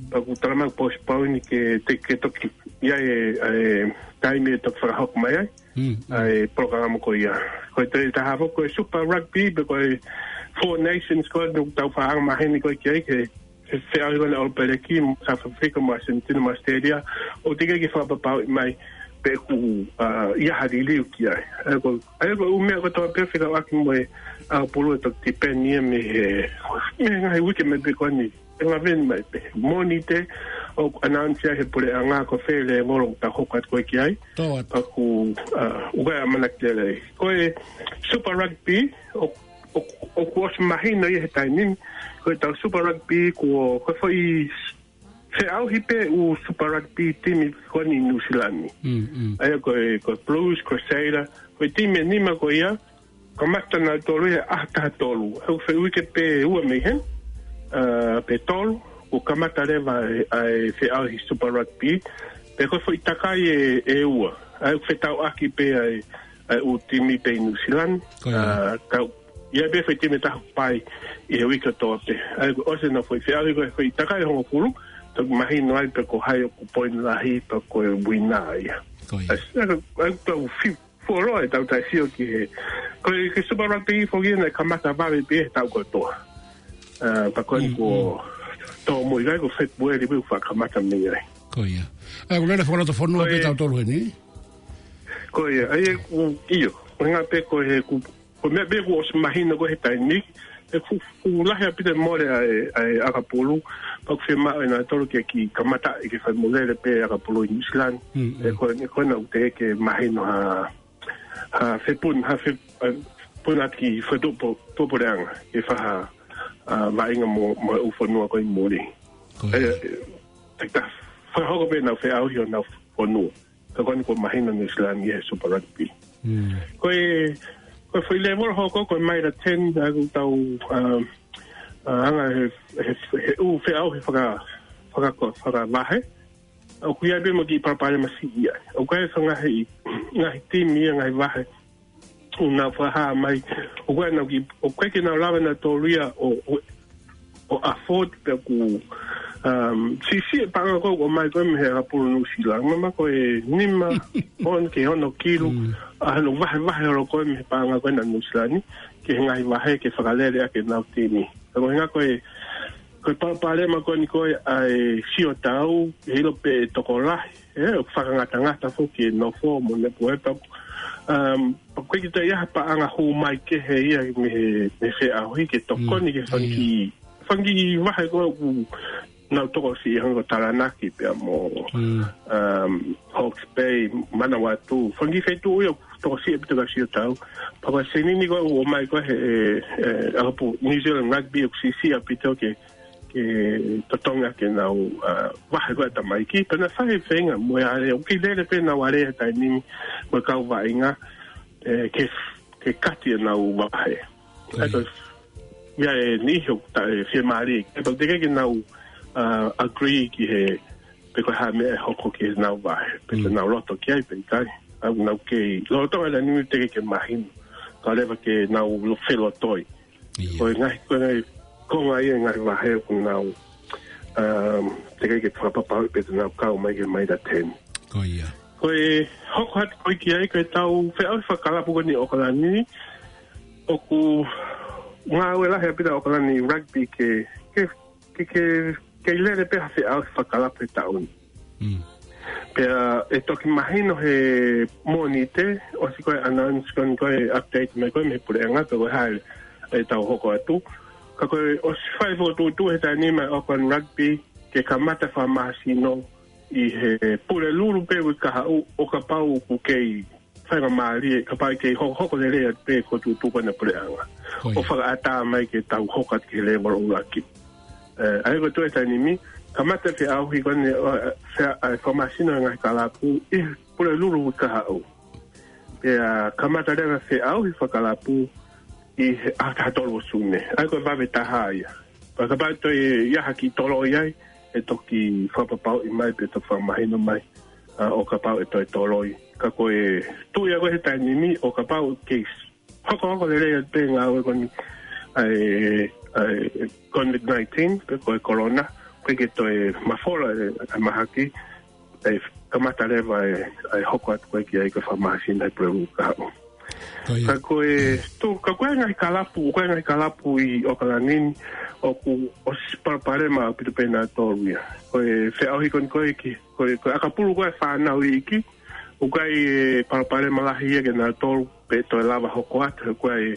Pea ʻoku talamai kuo postpone ke, te, ke toki ʻi ai e, e taimi ʻe toki fakahoko mai ai. Mm, mm. ʻA e polokalama ko ia. Ko e toe taha foki ko e Super Rugby, pe ko e Four Nations ko ē ʻoku tau fakaʻamu maheni ko ē ki ai ke, ke feʻauhi ko ē ʻa e ʻolopeleki, South Africa, mo Argentina, mo Australia. ʻOku teʻeki ke fakapapauʻi mai pe ʻoku, ah, ʻi ai ha liliu ki ai. ʻA ia ko, ʻa ia ko e ʻū meʻa kotoa pē fekauʻaki mo e ʻakapulu ʻe toki tipeni ia mei he, mei he ngaahi uike mai pē ko eni. ʻE laveni mai pē. Mōnite, ʻoku announce ai he puleʻanga ko fē level ʻoku tau hoko atu ko ē ki ai. Tō atu. Pea ʻoku, ah, ʻoku ʻi ai e ʻamanaki lelei. Ko e Super Rugby, ʻo, ʻo, ʻoku ʻosi mahino ia he taimi ni. Ko ʻetau Super Rugby, ko, ko e foʻi feʻauhi pē ʻū Super Rugby timi ko eni ʻi Nuʻusila ni. Mm, mm. ʻA ia ko e, ko e Blues, Crusader, ko e timi ʻe nima ko ia, kamata nautolu ia he ʻaho taha tolu. ʻOku feʻauhi pē ua mei heni, ah, pe tolu, ʻoku kamata leva ʻa e, ʻa e feʻauhi Super Rugby, pea ko e foʻi takai ʻe, ʻe ua. ʻA ia ʻoku fetauʻaki pē ʻa e, ʻa e ʻū timi pē ʻi Nuʻusila ni. Ko ia. ʻA, ka, ʻi ai pē foʻi timi ʻe taha ʻoku pai ʻi he uike kotoa pē. ʻA ia ʻoku ʻosi ʻenau foʻi feʻauhi ko e foʻi takai ʻe hongofulu, toki mahino ai pe ko hai ʻoku poini lahi pe ko e uina ia. Ko ia. ʻA ia, ʻa ia ʻoku tau fi-, fuoloa ʻetau taʻesio ki he. Ko e, ki he Super Rugby foki ia naʻe kamata vave pē he taʻu kotoa. ʻA, pea ko eni Mm, kuo mm. tōmui ai ko February pē ʻoku faʻa kamata mei ai. Ko ia. ʻA ia, ʻoku lele fakalotofonua Ko pē ia. tautolu heni? Ko ia, ʻa ia ʻoku, ʻio. Ko e ʻuhinga pē ko e ʻoku, ko e meʻa pē ʻoku ʻosi mahino ko ē he taimi ni, ʻoku, ʻoku lahi ʻaupito e mole ʻa e, ʻa e ʻakapulu, pea ʻoku fiemaʻu ʻe nautolu ke kiʻi kamata ʻi he fai mo lele pē ʻakapulu ʻi Nuʻusila ni. Mm, mm. ʻE ko e, ko ena ʻoku teʻeki ke mahino ha, ha fepun-, ha fe-, ha fepuna ki he tupu-, tupuleʻanga, ke fai ha, ʻa, vaʻinga mo, mo e ʻū fonua ko ē ʻi muli. Ko ia. ʻE, ʻe, te ka, fakahoko pē ʻenau feʻauhi ʻo ʻenau fonua. Ka ko eni kuo mahino Nuʻusila ni he Super Rugby. Mm. Ko e, ko e foʻi lēvolo hoko, ko e maila ten, ʻa ia ʻoku tau, um, ʻa, anga he, he, he ʻū feʻauhi faka-, faka-, fakavahe. ʻOku ʻi ai pē mo e kiʻi palopalema siʻi ia. ʻOku ʻi ai e faʻahinga ngaahi, ngaahi timi ia, ngaahi vahe ʻoku nau fakahā mai, ʻoku ʻikai ke nau ki-, ʻoku ʻikai ke nau lava nautolu ia ʻo, ʻo, ʻo afford pea ʻoku, um, siʻisiʻi e paʻanga ko ē ʻoku ʻomai ko ē mei he ʻakapulu Nuʻusila. Mahalo ko e nima, ono ki he ono kilu, Mm. ʻa hono vahevahe holo ko ē mei he paʻanga ko ē naʻa Nuʻusila ni, ki he ngaahi vahe ke fakalele ʻaki ʻenau timi. Ka ko e ʻuhinga ko e, ko e palopalema ko eni ko ē ʻa e siotau, ʻe ʻilo pē ʻe tokolahi, ʻe, ʻoku fakangatangata foki e nofo mo e nepuepa. Um, ʻoku ʻikai ke toe ʻi ai ha paʻanga hū mai kehe ia mei he, mei he feʻauhi ke tokoni Mm, ki he fanga kiʻi, ia. fanga kiʻi vahe ko ē ʻoku nau tokosiʻi hangē ko Taranaki pea mo, Mm. um, Hawke's Bay, Manawatū. Fanga kiʻi feituʻu ia ʻoku tokosiʻi ʻaupito ki he siotau. Pea ko e senini ko ē ʻoku ʻomai ko ē he, ʻe, ʻe, ʻakapulu New Zealand Rugby ʻoku siʻisiʻi ʻaupito ke ke totongi ʻaki ʻenau, ʻa, vahe ko ē ʻa e tamaiki, pea naʻe fai e feinga mo e alea, ʻoku kei lele pē ʻenau alea he taimi ni mo e kau vaʻinga, ʻe, ke, ke kati ʻenau vahe. Ko ia. ʻA ia ko e, ʻi ai e niʻihi ʻoku ta-, ʻe, fiemālie, ʻe, pea teʻeki ke nau, ʻa, agree ki he, pe ko e hā e meʻa ʻe hoko ki heʻenau vahe, pe te Mm. nau loto ki ai pe ʻikai. ʻA, nau kei, lolotonga e taimi ni teʻeki ke mahino. Ka leva ke nau lo-, felotoi. Ia. Ko e ngaahi, ko e ngaahi konga ia e ngaahi vahe ʻoku nau, um, teʻeki ke fakapapauʻi pe te nau kau mai ki he maila ten. Ko ia. Ko e hoko atu ko ē ki ai, ko ʻetau feʻauhi fakakalapu ko eni ʻi ʻOkalani, ʻoku ngāue lahi ʻaupito ʻa ʻOkalani Rugby ke, ke, ke, ke, ke lele pē ha feʻauhi fakakalapu he taʻu ni. Mm. Pea ʻe toki mahino he Mōnite, ʻosi ko ē announce ko eni ko ē update mai ko ē mei he puleʻanga pe ko e hā ʻetau hoko atu. Ka ko e ʻosi fai fokotuʻutuʻu he taimi ni mai ʻOkalani Rugby ke kamata fakamāsino ʻi he Pulelulu pē uike kahaʻu ʻo kapau ʻoku kei faingamālie, kapau ʻe kei hokohoko lelei atu pē e fokotuʻutuʻu ko ena ʻa e puleʻanga. Ko ia. ʻO fakaʻatā mai ke tau hoko atu ki he lēvolo ʻuluaki. ʻE, ʻa ia ko e tuʻu he taimi ni, kamata feʻauhi ko eni, ʻo, ʻe, fea-, ʻa e fakamāsino e ngaahi kalapu ʻi he Pulelulu uike kahaʻu. Pea kamata leva feʻauhi fakakalapu ʻi he ʻaho taha tolu ʻo Sune. ʻA ia ko e vave taha ia. Pea kapau ʻe toe ʻi ai ha kiʻi toloi ai, ʻe toki fakapapauʻi mai, pe toki fakamahino mai, ʻa, ʻo kapau ʻe toe toloi. Ka ko e tuʻu ia ko ē he taimi ni, ʻo kapau ʻe kei hokohoko lelei atu pē e ngāue ko eni ʻa e, ʻa e COVID nineteen, pe ko e corona, ʻoku ʻikai ke toe mafola e, e mahaki, ʻe kamata leva e, e hoko atu ko ē ki ai ko e fakamāsino he Pulelulu kahaʻu. Ko ia. Ka ko e, tu, ka ko e ngaahi kalapu, ko e ngaahi kalapu ʻi ʻOkalani ni, ʻoku ʻosi palopalema ʻaupito pē nautolu ia. Ko e feʻauhi ko eni ko ē ki, ko e, ko e ʻakapulu ko ē fānau iiki, ʻoku ʻi ai e palopalema lahi ia kia nautolu, pe toe lava hoko atu, he ʻoku ʻi ai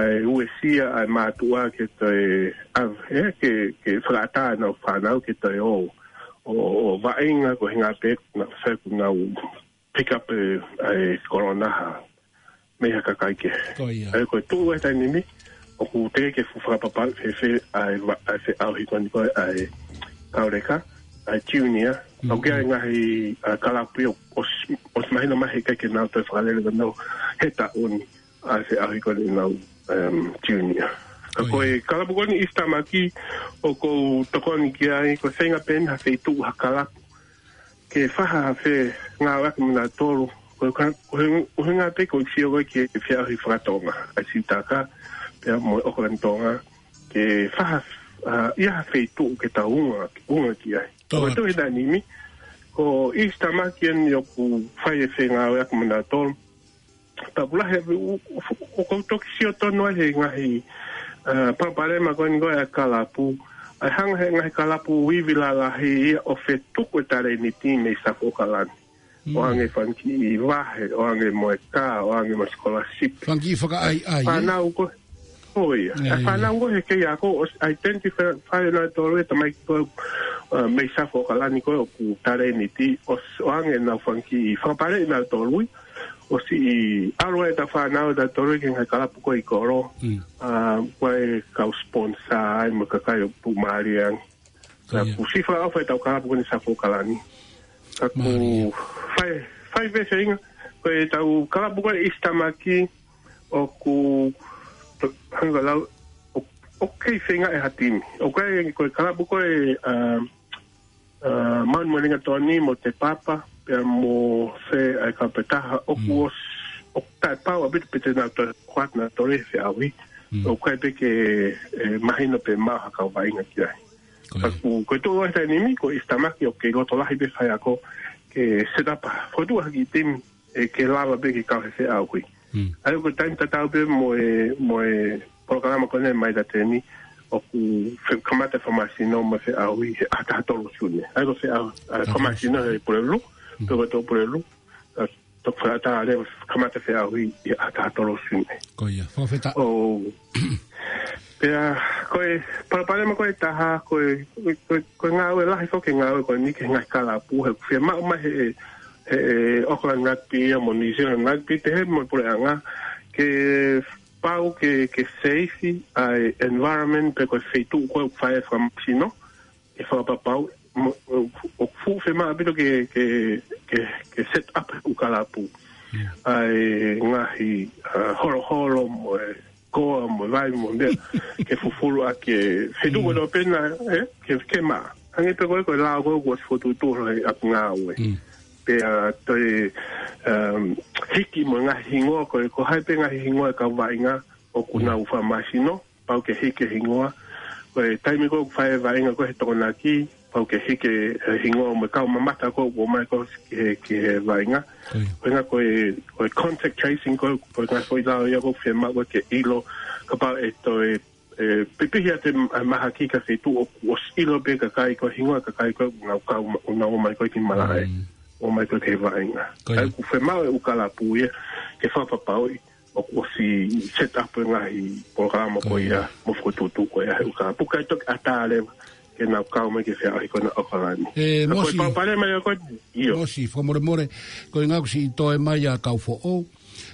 e, e uesia ʻa e mātuʻa ke toe, ʻa, ʻe, ke, ke fakaʻatā ʻenau fānau ke toe ō ʻo, ʻo vaʻinga ko e ʻuhinga pē naʻa sai kuo nau pick up e, e corona ha, mei ha kakai kehe. Ko ia. ʻA ia ko e tuʻu he taimi ni, ʻoku teʻeki ke fu-, fakapapauʻi fēfē ʻa e va-, ʻa e feʻauhi ko eni ko ē ʻa e kauleka, ʻa e junior, Mm. ʻoku ʻi ai e ngaahi, ʻa, kalapu ia ʻosi, ʻosi mahino mai he ʻikai ke nau toe fakalele ko ē ʻenau he taʻu ni, ʻa e feʻauhi ko eni ʻenau, um, junior. Ka ko e kalapu ko eni ʻIsitamaki ʻoku ou tokoni ki ai, ko e feinga pē eni ha feituʻu ha kalapu ke fai ha fengāueʻaki mo nautolu. Ko e ka-, ko e ʻuhinga pē ko e sio ko ē ki he feʻauhi fakatonga ʻa Siutaka pea mo ʻAokalani Tonga, ke fai ha, ʻa, ʻi ai ha feituʻu ke tau unga, unga ki ai. Ko e tohi naʻe nimi, ko ʻIsitamaki eni ʻoku fai e fengāueʻaki mo nautolu. Pea ʻoku lahi, ʻo, ʻo, ʻoku ou toki sio tonu ai he ngaahi, ʻa, palopalema ko eni ko e kalapu. ʻA e hanga he ngaahi kalapu ivi lalahi ia ʻo fetuku e talēniti mei South ʻAokalani. ʻO hangē fanga kiʻi vahe, ʻo hangē mo e kā, ʻo hangē mo e scholarship. Fanga kiʻi fakaʻaiʻai, ē? Fānau ko ē. ʻIo. ʻA e fānau ko ē he kei ako, ʻosi identify ʻe nautolu e tamaiki ko ē, ʻa, mei South ʻAokalani ko ē ʻoku talēniti, ʻos-, ʻo hangē nau fanga kiʻi fakapale ʻe nautolu ia. ʻOsi ʻi ʻalu ai ʻetau fānau ʻe nautolu ki he ngaahi kalapu ko ē ʻi kolo. ʻA, ko e kau sponsor ai mo e kakai ʻoku mālie ange. Ka ʻoku siʻi fakaʻofa ʻetau kalapu ko eni South ʻAokalani. Ka ʻoku fai, fai pē feinga. Ko ʻetau kalapu ko ē ʻIsitamaki ʻoku, hanga lau, ʻo, ʻoku kei feinga e ha timi. ʻOku ʻi ai ko e kalapu ko ē, ʻa, ʻa, Maun mo Lingatoni mo Te Papa, pea mo Fe ʻa e kau pē taha, ʻoku ʻos-, ʻoku taʻepau ʻaupito pe te nau toe, kuat nau toe feʻauhi. ʻOku ʻi ai pē ke, ʻe, mahino pe maʻu ha kau vaʻinga ki ai. Ka ʻoku, ko e tuʻu ʻa e taimi ni, ko ʻIsitamaki ʻoku kei loto lahi pē faiako ke set up, fokotuʻu ha kiʻi timi, ʻe, ke lava pē ke kau he feʻauhi. ʻA ia ko e taimi tatau pē mo e, mo e polokalama ko eni mai la teni, ʻoku fe-, kamata fakamāsino mo e feʻauhi he ʻaho taha tolu Sune. ʻA ia ko e feʻau-, ʻa, fakamāsino he Pulelulu, pe ko e tolu Pulelulu, ʻa, toki fakaʻatā leva kamata feʻauhi he ʻaho taha tolu Sune. Ko ia, fakafetaʻi. ʻO, pea, ko e, palopalema ko e taha, ko e, ko e, ko e ngāue lahi foki e ngāue ko eni ki he ngaahi kalapu, he ʻoku fiemaʻu mai he, he, he Auckland Rugby ia mo New Zealand Rugby, pehē mo e puleʻanga, ke pau ke, ke seifi ʻa e environment pe ko e feituʻu ko ē ʻoku fai ai e fakamāsino, ke fakapapauʻi, mo, ʻo, ʻoku fuʻu fiemaʻu ʻaupito ke, ke, ke, ke set up e kalapu. ʻA e ngaahi, ʻa, holoholo mo e koa mo e vai mo e meʻa, ke fufulu ʻaki e feituʻu ko ē pena, ʻe, ke, ke maʻa. Hangē pē ko e, ko e lao ko ē kuo ʻosi fokotuʻutuʻu he ʻapi ngāue. Pea toe, um, hiki mo e ngaahi hingoa ko ē, ko hai pē ngaahi hingoa e kau vaʻinga ʻoku nau fakamāsino, pau ke hiki e hingoa. Ko e taimi ko ē ʻoku fai e vaʻinga ko ē he Tokonaki, pau ke hiki e hingoa mo e kau mamata ko ē ʻoku ʻomai ko ē ki he, ki he vaʻinga. Ko ia. Ko e ʻuhinga ko e, ko e contact tracing ko ē, ko e ngaahi foʻi lao ia ʻoku fiemaʻu ke ʻilo, kapau ʻe toe, ʻe, pipihi ʻa e mahaki ki ha feituʻu ʻoku ʻosi ʻilo pē kakai ko ē hingoa kakai ko ē ʻoku nau kau ma-, ʻoku nau ō mai ko ē ki malaʻe. ʻO mai ko ē ki he vaʻinga. Ko ia. ʻA ia ʻoku fiemaʻu e ʻū kalapu ia ke fakapapauʻi ʻoku ʻosi set up e ngaahi polokalama ko ia, mo fokotuʻutuʻu ko ia he ʻū kalapu kae toki ʻatā leva ke nau kau mai ki he feʻauhi ko ena ʻAokalani. ʻE, ka ko e Mosi, palopalema ia ko ē, ʻio. Mosi, fakamolemole, ko e ʻuhinga ʻoku siʻi toe mai ʻa Kaufoʻou.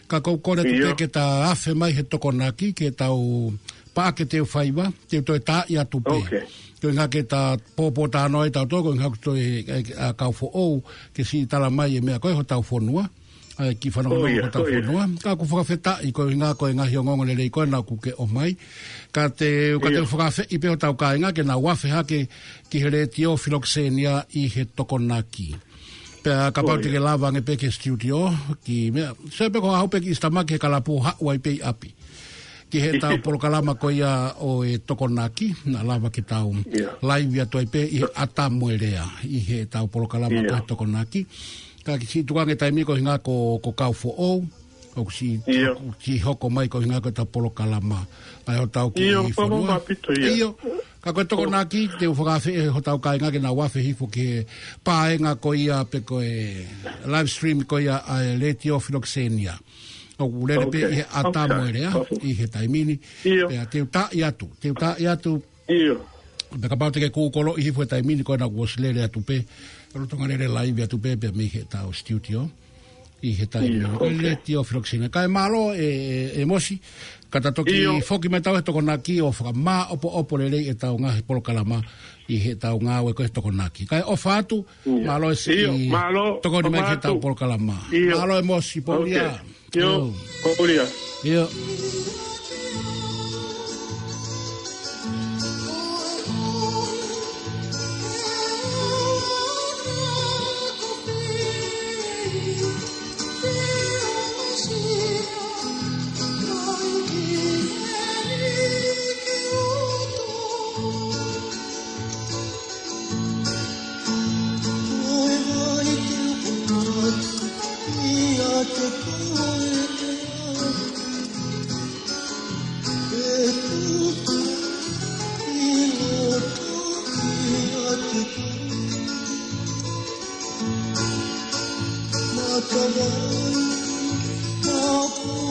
Ka ʻoku ou kole atu pē ke ta afe mai he Tokonaki, ke tau paʻake ʻetau faiva, te u toe taaʻi atu pē. Ko e ʻuhinga ke ta pōpōtalanoa ai tautolu, ko e ʻuhinga ʻoku toe, ʻa, ʻa Kaufoʻou, ke siʻi tala mai e meʻa ko ē hotau fonua. ʻA e kiʻi fanongonongo ko ē hotau fonua. Ka ʻoku fakafetaʻi ko e ʻuhinga ko e ngaahi ongoongo lelei ko ena ʻoku ke ʻomai. Ka te, ka te u fakaafeʻi pē hotau kāinga ke nau afe hake ki he Letiō Filokisenia ʻi he Tokonaki. Pea kapau te ke lava ange pē ki he studio, ki meʻa. Sio pē ko e haʻu pē ki ʻIsitamaki he kalapu haʻu ai pē ʻi ʻapi. Ki heʻetau polokalama ko ia ʻo e Tokonaki, naʻa lava ke tau laivi atu ai pē ʻi he ʻAta mo e Lea, ʻi heʻetau polokalama ko e Tokonaki. Ka kiʻi siʻi tuku ange taimi ko e ʻuhinga ko, ko Kaufoʻou, ʻoku siʻi, ʻoku siʻi hoko mai ko e ʻuhinga ko ʻetau polokalama. ʻA e hotau kiʻi fonua. ʻIo. Ka ko e Tokonaki, te u fakaafeʻi hotau kāinga ke nau afe hifo ki he paenga ko ia pe ko e live stream ko ia ʻa e Letiō Filokisenia. ʻOku lele pē ʻi he ʻAta mo e Lea, ʻi he taimi ni. Pea te u taaʻi atu, te u taaʻi atu. Pea kapau te ke kūkoloʻi hifo he taimi ni ko ena kuo ʻosi lele atu pē. Lolotonga lele laivi atu pē, pea mei heʻetau studio. ʻI he taimi ni. Ko e Letiō Filokisenia. Kae mālō ʻe, ʻe, ʻe Mosi. Ka ta toki foki mai tautolu he Tokonaki ʻo fakamāʻopoʻopo lelei ʻetau ngaahi polokalama ʻi heʻetau ngāue ko ē he Tokonaki. Kae ʻofa atu, mālō e siʻi tokoni mai ki heʻetau polokalama. Mālō ʻe Mosi, pōʻulia. ʻIo, pōʻulia. ʻIo. ʻIate koe, ʻe tutu ʻi loto ʻiate koe. Matavai, mapunopuna,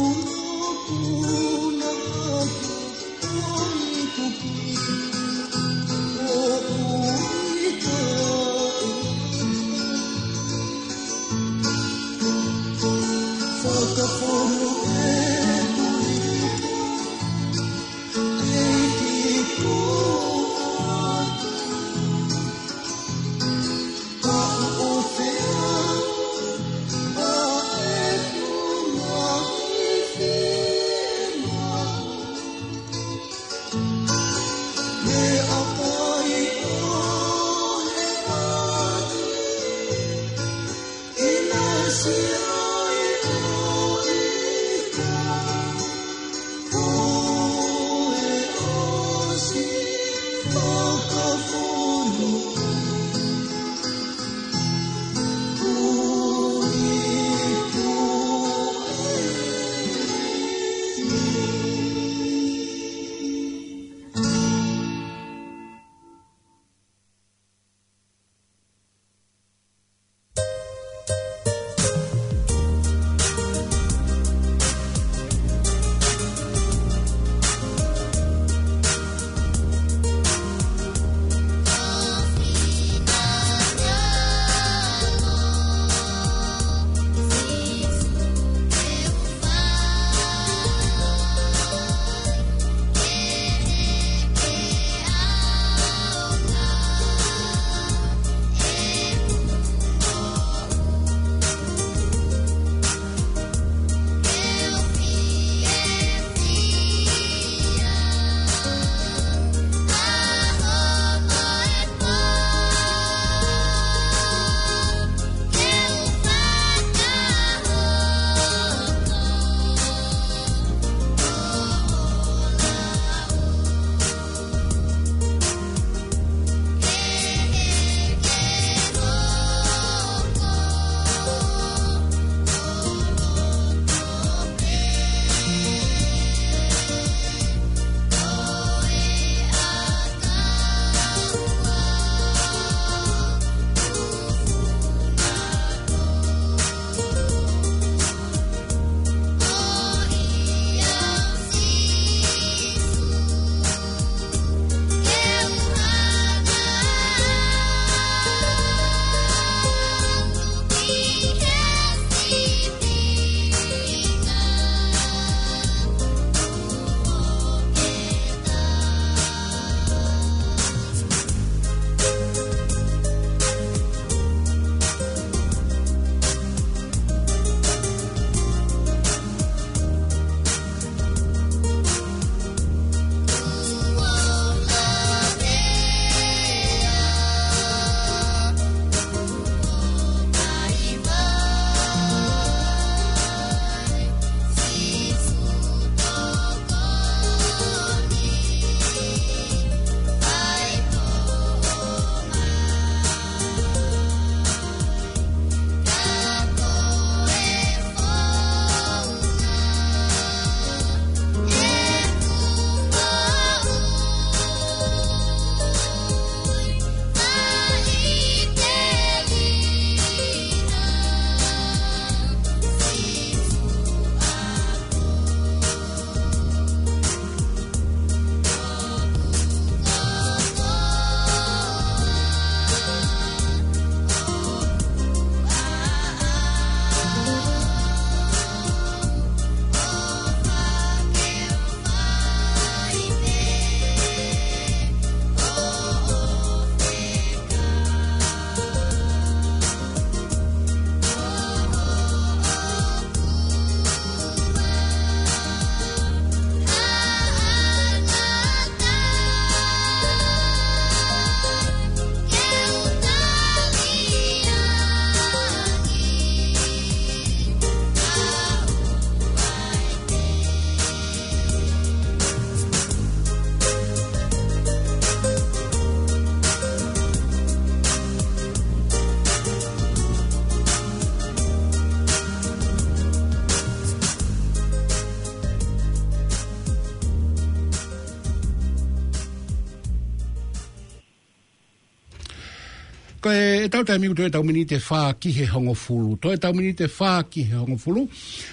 Ko e, ʻetau taimi ʻoku toe ʻetau miniti ʻe fā ki he hongofulu. Toe ʻetau miniti ʻe fā ki he hongofulu.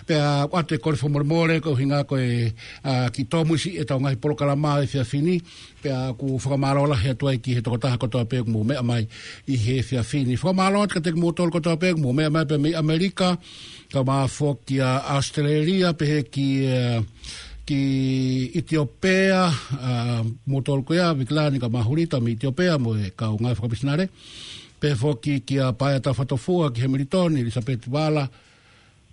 Pea ʻoatu e kole fakamolemole, ko e ʻuhinga ko e, ʻa, kiʻi tōmuisiʻi ʻetau ngaahi polokalama he efiafi ni. Pea ʻoku fakamālō lahi atu ai ki he tokotaha kotoa pē ʻoku mou meʻa mai ʻi he efiafi ni. Fakamālō atu kiate kimoutolu kotoa pē ʻoku mou meʻa mai pē mei ʻAmelika, kaeʻumaʻā foki ʻa ʻAositelēlia, pehē ki, ē, ki ʻItiopea, ʻa, moutolu ko ia, Vikilani kaeʻumaʻā Hulita mei ʻItiopea, mo e kau ngāue fakamisinale. Pehē foki kia Paea Tafatofua, ki Hemilitoni, ʻElisapeti Vala,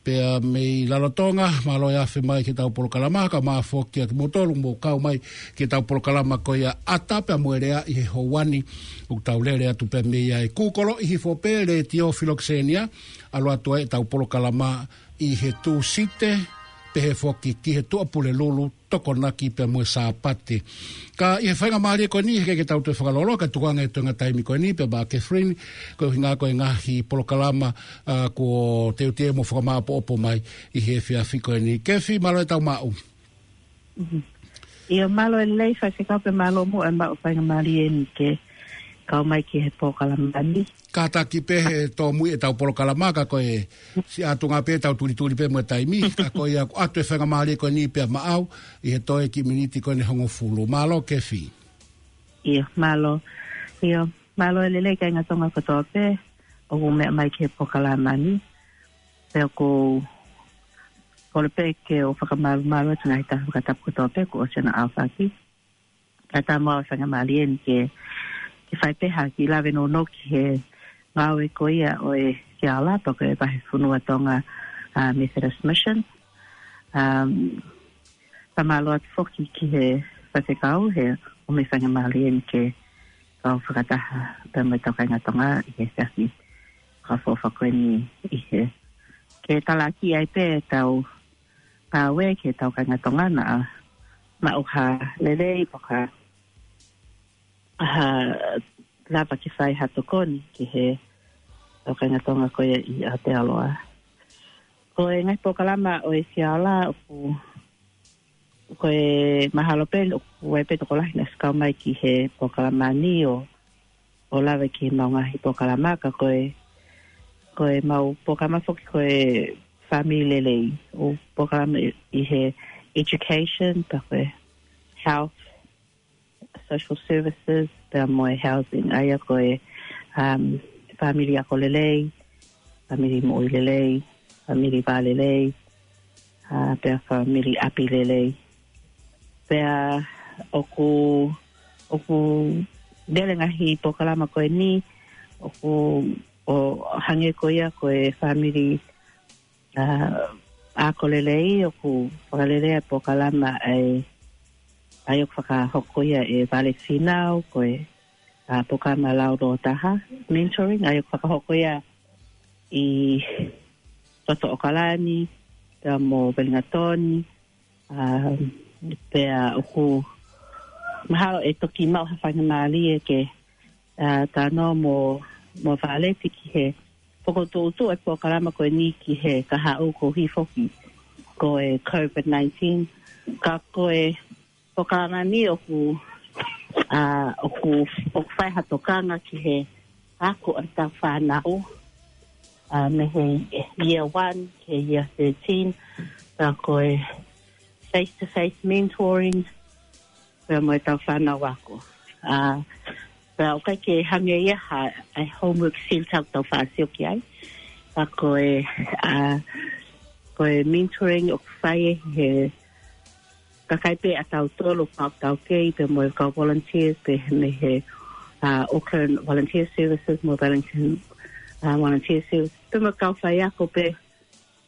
pea mei Lalotonga, mālō e afe mai ki heʻetau polokalama, kaeʻumaʻā foki kiate kimoutolu ʻoku mou kau mai ki heʻetau polokalama ko ia ʻAta pea mo e Lea ʻi he houa ni, ʻoku tau lele atu pē mei ai. Kūkoloʻi hifo pē Letiō Filokisenia, ʻalu atu ai ʻetau polokalama ʻi he Tūsite, pehē foki ki he Tuʻapulelulu, Tokonaki pea mo e Sāpate. Ka ʻi he faingamālie ko eni, he ʻikai ke tau toe fakalōloa, kae tuku ange e toenga taimi ko eni, pea maʻa Catherine, ko e ʻuhinga ko e ngaahi polokalama, ʻa, kuo teuteu mo fakamāʻopoʻopo mai ʻi he efiafi ko eni. Kefi, mālō e tau maʻu. Mhm. ʻIo, mālō e lelei Faifekau pea mālō muʻa e maʻu faingamālie ni ke kau mai ki he polokalama ni. Kātaki pē he tōmui ʻetau polokalama ka ko e siʻi ʻatunga pē tau tulituli pē mo e taimi, ka ko ia ʻoku ʻoatu e faingamālie ko eni pea maʻau ʻi he toe kiʻi miniti ko eni hongofulu. Mālō Kefi. ʻIo, mālō. ʻIo, mālō e lelei kāinga Tonga kotoa pē ʻoku meʻa mai ki he polokalama ni. Pea ʻoku ou kole pē ke u fakamālō atu ki he ngaahi taha fakatapu kotoa pē kuo ʻosi ʻenau ʻaofaki. Kae ʻatā mo au e faingamālie ni ke, ke fai pē ha kiʻi lave nounou ki he ngāue ko ia ʻo e Sea Ola pe ko e Vahefonua Tonga, ʻa, Methodist Mission. Um, fakamālō atu foki ki he Faifekau he ʻomi e faingamālie ni ke kau fakataha pea mo ʻetau kāinga Tonga ʻi he efiafi fakaʻofoʻofa ko eni ʻi he, ke talaki ai pē ʻetau ngāue ki heʻetau kāinga Tonga naʻa maʻu ha lelei pe ko ha, ha lava ke fai ha tokoni ki heʻetau kāinga Tonga ko ia ʻi Aotearoa. Ko e ngaahi polokalama ʻo e Sea Ola ʻoku, ko e mahalo pē ʻoku ʻi ai pē tokolahi naʻe ʻosi kau mai ki he polokalama ni ʻo, ʻo lave ki heʻemau ngaahi polokalama ka ko e, ko ʻemau polokalama foki ko e Fāmili Lelei, ʻo polokalama ʻi, ʻi he education, pea ko e health, social services, pea mo e housing, ʻa ia ko e, um, fāmili ako lelei, fāmili moʻui lelei, fāmili vā lelei, ʻa, pea fāmili ʻapi lelei. Pea ʻoku, ʻoku lele ngaahi polokalama ko eni, ʻoku, ʻo hangē ko ia ko e fāmili, ʻa, ako lelei, ʻoku fakalele e polokalama ʻa e, ʻa ia ʻoku fakahoko ia ʻe Vale Fīnau, ko e, ʻa, polokalama launoa taha, mentoring, ʻa ia ʻoku fakahoko ia ʻi loto ʻOkalani, pea mo Uelingatoni, ʻa, pea ʻoku mahalo ʻe toki maʻu ha faingamālie ke, ʻa, talanoa mo, mo Vale ki he fokotuʻutuʻu e polokalama ko eni ki he kahaʻu koeʻuhi foki ko e COVID nineteen. Ka ko e polokalama ni ʻoku, ʻa, ʻoku, ʻoku fai ha tokanga ki he ako ʻa e tau fānau, ʻa, mei he year one ki he year thirteen, pea ko e face-to-face mentoring, pea mo e tau fānau ako. ʻA, pea ʻoku ʻikai ke hangē ia ha, ʻa e homework sili ʻoku tau faʻa sio ki ai. Pea ko e, ʻa, ko e mentoring ʻoku fai ʻe he kakai pē ʻa tautolu kau taukei pea mo e kau volunteers pē mei he, ʻa, Auckland Volunteer Services mo Wellington, ʻa, Volunteer Services. Pea mo e kau faiako pē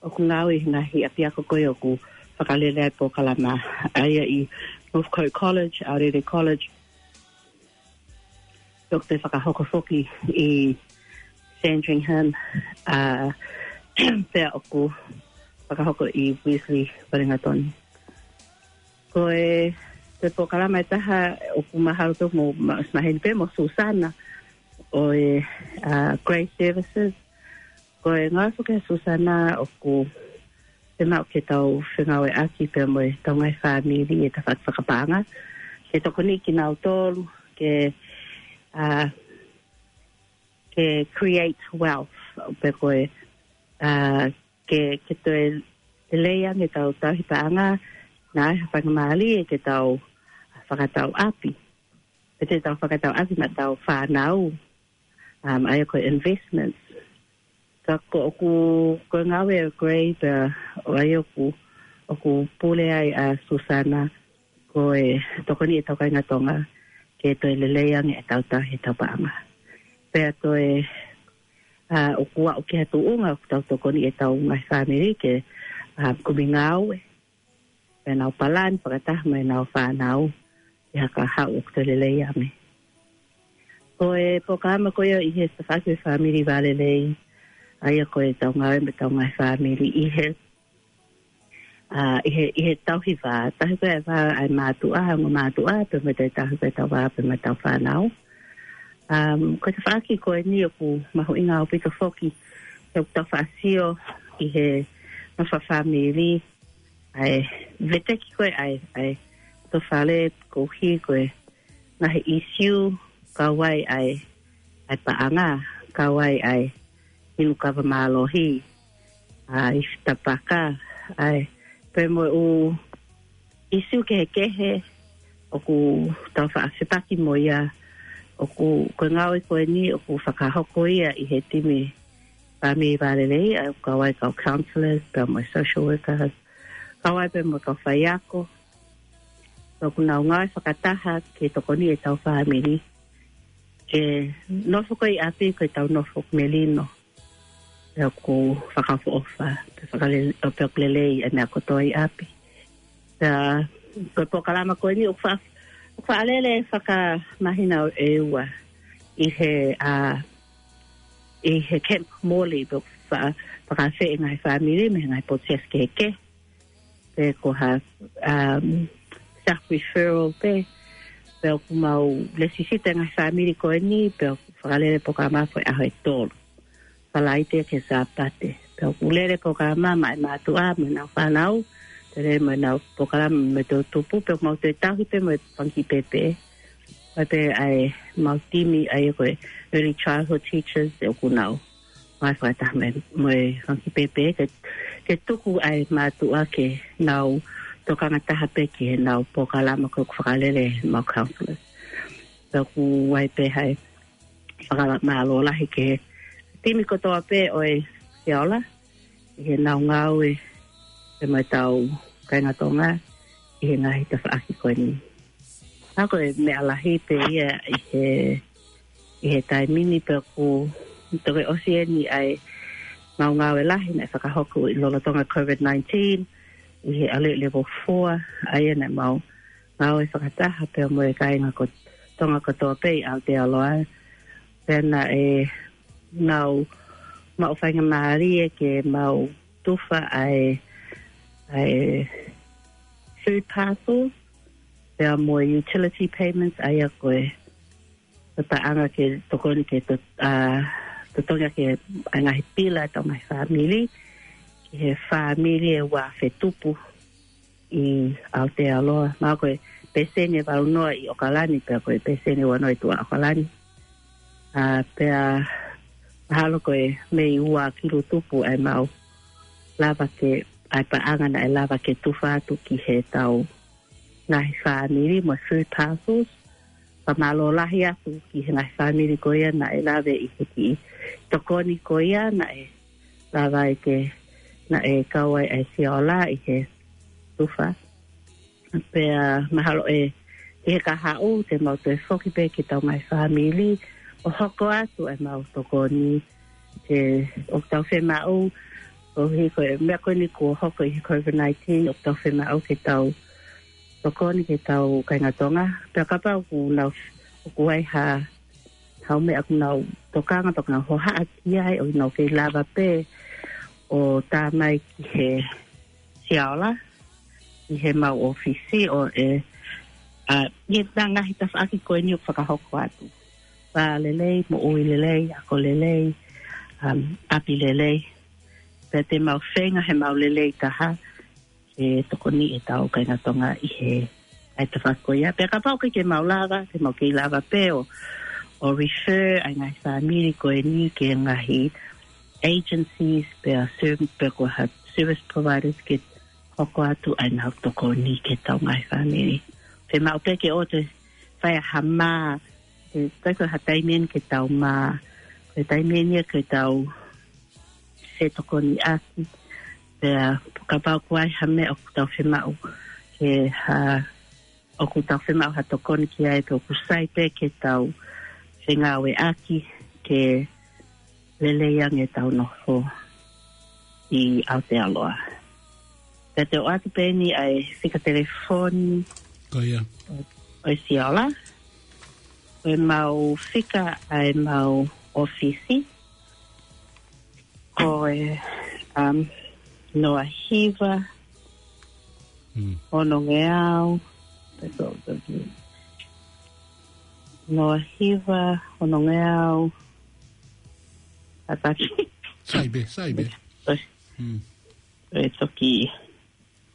ʻoku ngāue ʻi he ngaahi ʻapiako ko ia ʻoku fakalele ai e polokalama. ʻA ia ʻi Northcote College, Aorere College, ʻoku toe fakahoko foki ʻi Sandringham, ʻa, pea ʻoku fakahoko ʻi Wesley, Uelingatoni. Ko e, ko e polokalama ʻe taha ʻoku mahalo ʻoku mou ma-, maheni pē mo Susana ʻo e, ʻa, Grace Services. Ko e ngāue foki ʻa Susana ʻoku fiemaʻu ke tau fengāueʻaki pea mo e tau ngaahi fāmili ʻi he tafaʻaki fakapaʻanga. Ke tokoniʻi kinautolu, ke, ʻa, ke create wealth, pe ko e, ā, ke, ke toe lelei ange ʻetau tauhi paʻanga, naʻa ʻi ai ha faingamālie ke tau fakatau ʻapi. Pe te tau fakatau ʻapi maʻa ʻetau fānau, um, ʻa ia ko e investments. Ka ko ʻeku, ko e ngāue ʻa Gray pea ʻa ia ʻoku, ʻoku pule ai ʻa Susana, ko e tokoni ʻetau kāinga Tonga, ke toe lelei ange ʻetau tauhi ʻetau paʻanga. Pea toe, ā, ʻoku aʻu ki ha tuʻunga ʻoku tau tokoni ʻetau ngaahi fāmili ke, ā, kumi ngāue. Pea nau palani fakataha mo ʻenau fānau ʻi ha kahaʻu ʻoku toe lelei ange. Ko e polokalama ko ia ʻi he tafaʻaki ʻo e Fāmili Vā Lelei, ʻa ia ko ʻetau ngāue mo ʻetau ngaahi fāmili ʻi he, ā, ʻi he, ʻi he tauhi vā, tauhi ko ē vā ʻa e mātuʻa, ongo mātuʻa, pea mo e tauhi ko ē ʻetau vā, pea mo ʻetau fānau. Um, ko e tafaʻaki ko eni ʻoku mahuʻinga ʻaupito foki, he ʻoku tau faʻa sio ʻi he nofo fakafāmili, ʻa e veteki ko ē ʻa e, ʻa e tofale koeʻuhi ko e ngaahi ʻīsiu, kau ai ʻa e, ʻa e paʻanga, kau ai ʻa e inu kava mālohi, ʻa e ifi tapaka, ʻa e pea mo e ʻū ʻīsiu kehekehe ʻoku tau faʻa fepaki mo ia, ʻoku, ko e ngāue ko eni ʻoku fakahoko ia ʻi he timi Fāmili Vā Lelei, ʻa ia ʻoku kau ai kau counselors, pea mo e social workers, kau ai pea mo e kau faiako. Pea ʻoku nau ngāue fakataha ke tokoni ʻetau fāmili ke nofo ko ē ʻi ʻapi ko ʻetau nofo melino. Pea ʻoku fakaʻofoʻofa, pea fakalele-, ʻo pea ʻoku lelei ʻa e meʻa kotoa ʻi ʻapi. Pea ko e polokalama ko eni ʻoku fa-, ʻoku faʻa lele fakamahino ʻe ua ʻi he, ā, ʻi he Camp Morley, pea ʻoku fa-, fakaafeʻi e ngaahi fāmili mei he ngaahi potu siasi kehekehe. Pe ko ha, um, self referral pē, pea ʻoku mau lēsisita e ngaahi fāmili ko eni, pea ʻoku fakalele e polokalama ko ē ʻaho ʻe tolu. Falaite ki he Sāpate. Pea ʻoku lele e polokalama maʻa e mātuʻa mo ʻenau fānau, toe lele mo ʻenau polokalama mo e toʻutupu, pea ʻoku mau toe tauhi pē mo e fanga kiʻi pēpē. Pea ʻi ai pē ʻa e mau timi ʻa ia ko e early childhood teachers ʻoku nau ngāue fakataha mo e, mo e fanga kiʻi pēpē ke, ke tuku ʻa e mātuʻa ke nau tokanga taha pē ki heʻenau polokalama ko ē ʻoku fakalele ʻe he mau counselors. Pea ʻoku ʻi ai pē ha fakamālō lahi ki he timi kotoa pē ʻo e Siola ʻi heʻenau ngāue pea mo ʻetau kāinga Tonga ʻi he ngaahi tafaʻaki ko eni. Ka ko e meʻa lahi pē ia ʻi he, ʻi he taimi ni, pea ʻoku toki ʻosi eni ʻa e mau ngāue lahi naʻe fakahoko ʻi lolotonga COVID nineteen ʻi he ʻalu level four, ʻa ia naʻa mau ngāue fakataha pea mo e kāinga ko Tonga kotoa pē ʻi Aotearoa. Pea naʻe mau maʻu faingamālie ke mau tufa ʻa e, ʻa e food parcels, pea mo e utility payments, ʻa ia ko e, ko e paʻanga ke tokoni ke to-, ā, totongi ʻaki e ngaahi pila ʻetau ngaahi fāmili, ki he fāmili ʻe ua afe tupu ʻi Aotearoa. Mahalo ko e pēseni ʻe valu noa ʻi ʻOkalani, pea ko e pēseni ʻe ua noa ʻi tuʻa ʻOkalani. Ā, pea mahalo ko e mei ua kilu tupu ʻa e mau lava ke, ʻa e paʻanga naʻe lava ke tufa atu ki heʻetau ngaahi fāmili mo e food parcels. Fakamālō lahi atu ki he ngaahi fāmili ko ia naʻe lave ʻi he kiʻi tokoni ko ia naʻe lava ai ke, naʻe kau ai ʻa e Siola ʻi he tufa. Pea mahalo ʻe, ʻi he kahaʻu te mau toe foki pē ki heʻetau ngaahi fāmili ʻo hoko atu ʻemau tokoni ke ʻoku tau fiemaʻu, koeʻuhi ko e meʻa ko eni kuo hoko ʻi he COVID nineteen, ʻoku tau fiemaʻu ke tau tokoni ki heʻetau kāinga Tonga. Pea kapau ʻoku nau, ʻoku ʻi ai ha, ha meʻa ʻoku nau tokanga, ʻoku nau hohaʻa ki ai ʻo ʻikai ke nau lava pē ʻo tā mai ki he Siola, ʻi heʻemau ʻōfisi ʻo e, ā, ʻi he ngaahi tafaʻaki ko eni ʻoku fakahoko atu. Vā lelei, moʻui lelei, ako lelei, um, ʻapi lelei. Pea te mau feinga heʻemau lelei taha ke tokoni ʻetau kāinga Tonga ʻi he, ʻa e tafaʻaki ko ia. Pea kapau ʻoku ʻikai ke mau lava, te mau kei lava pē ʻo, ʻo refer ʻa e ngaahi fāmili ko eni ki he ngaahi agencies, pea serv-, pea ko ha service providers ke hoko atu ai ʻenau tokoni ki heʻetau ngaahi fāmili. Fiemaʻu pē ke ʻoua toe fai ha mā, he ʻikai ko ha taimi eni ke tau mā, ko e taimi eni ia ke tau fetokoniʻaki. Pea kapau ʻoku ʻi ai ha meʻa ʻoku tau fiemaʻu ke ha, ʻoku tau fiemaʻu ha tokoni ki ai, pea ʻoku sai pē ke tau fengāueʻaki ke lelei ange ʻetau nofo ʻi Aotearoa. Pea te u ʻoatu pē eni ʻa e fika telefoni. Ko ia. ʻO e Siola. Ko ʻemau fika ʻa ʻemau ʻōfisi. Ko e, um, noa hiva, Mm. ono ngeau. That's all, that's it. Noa hiva, ono ngeau. Ataki. Sai pē, sai pē. Sorry. Mm. E toki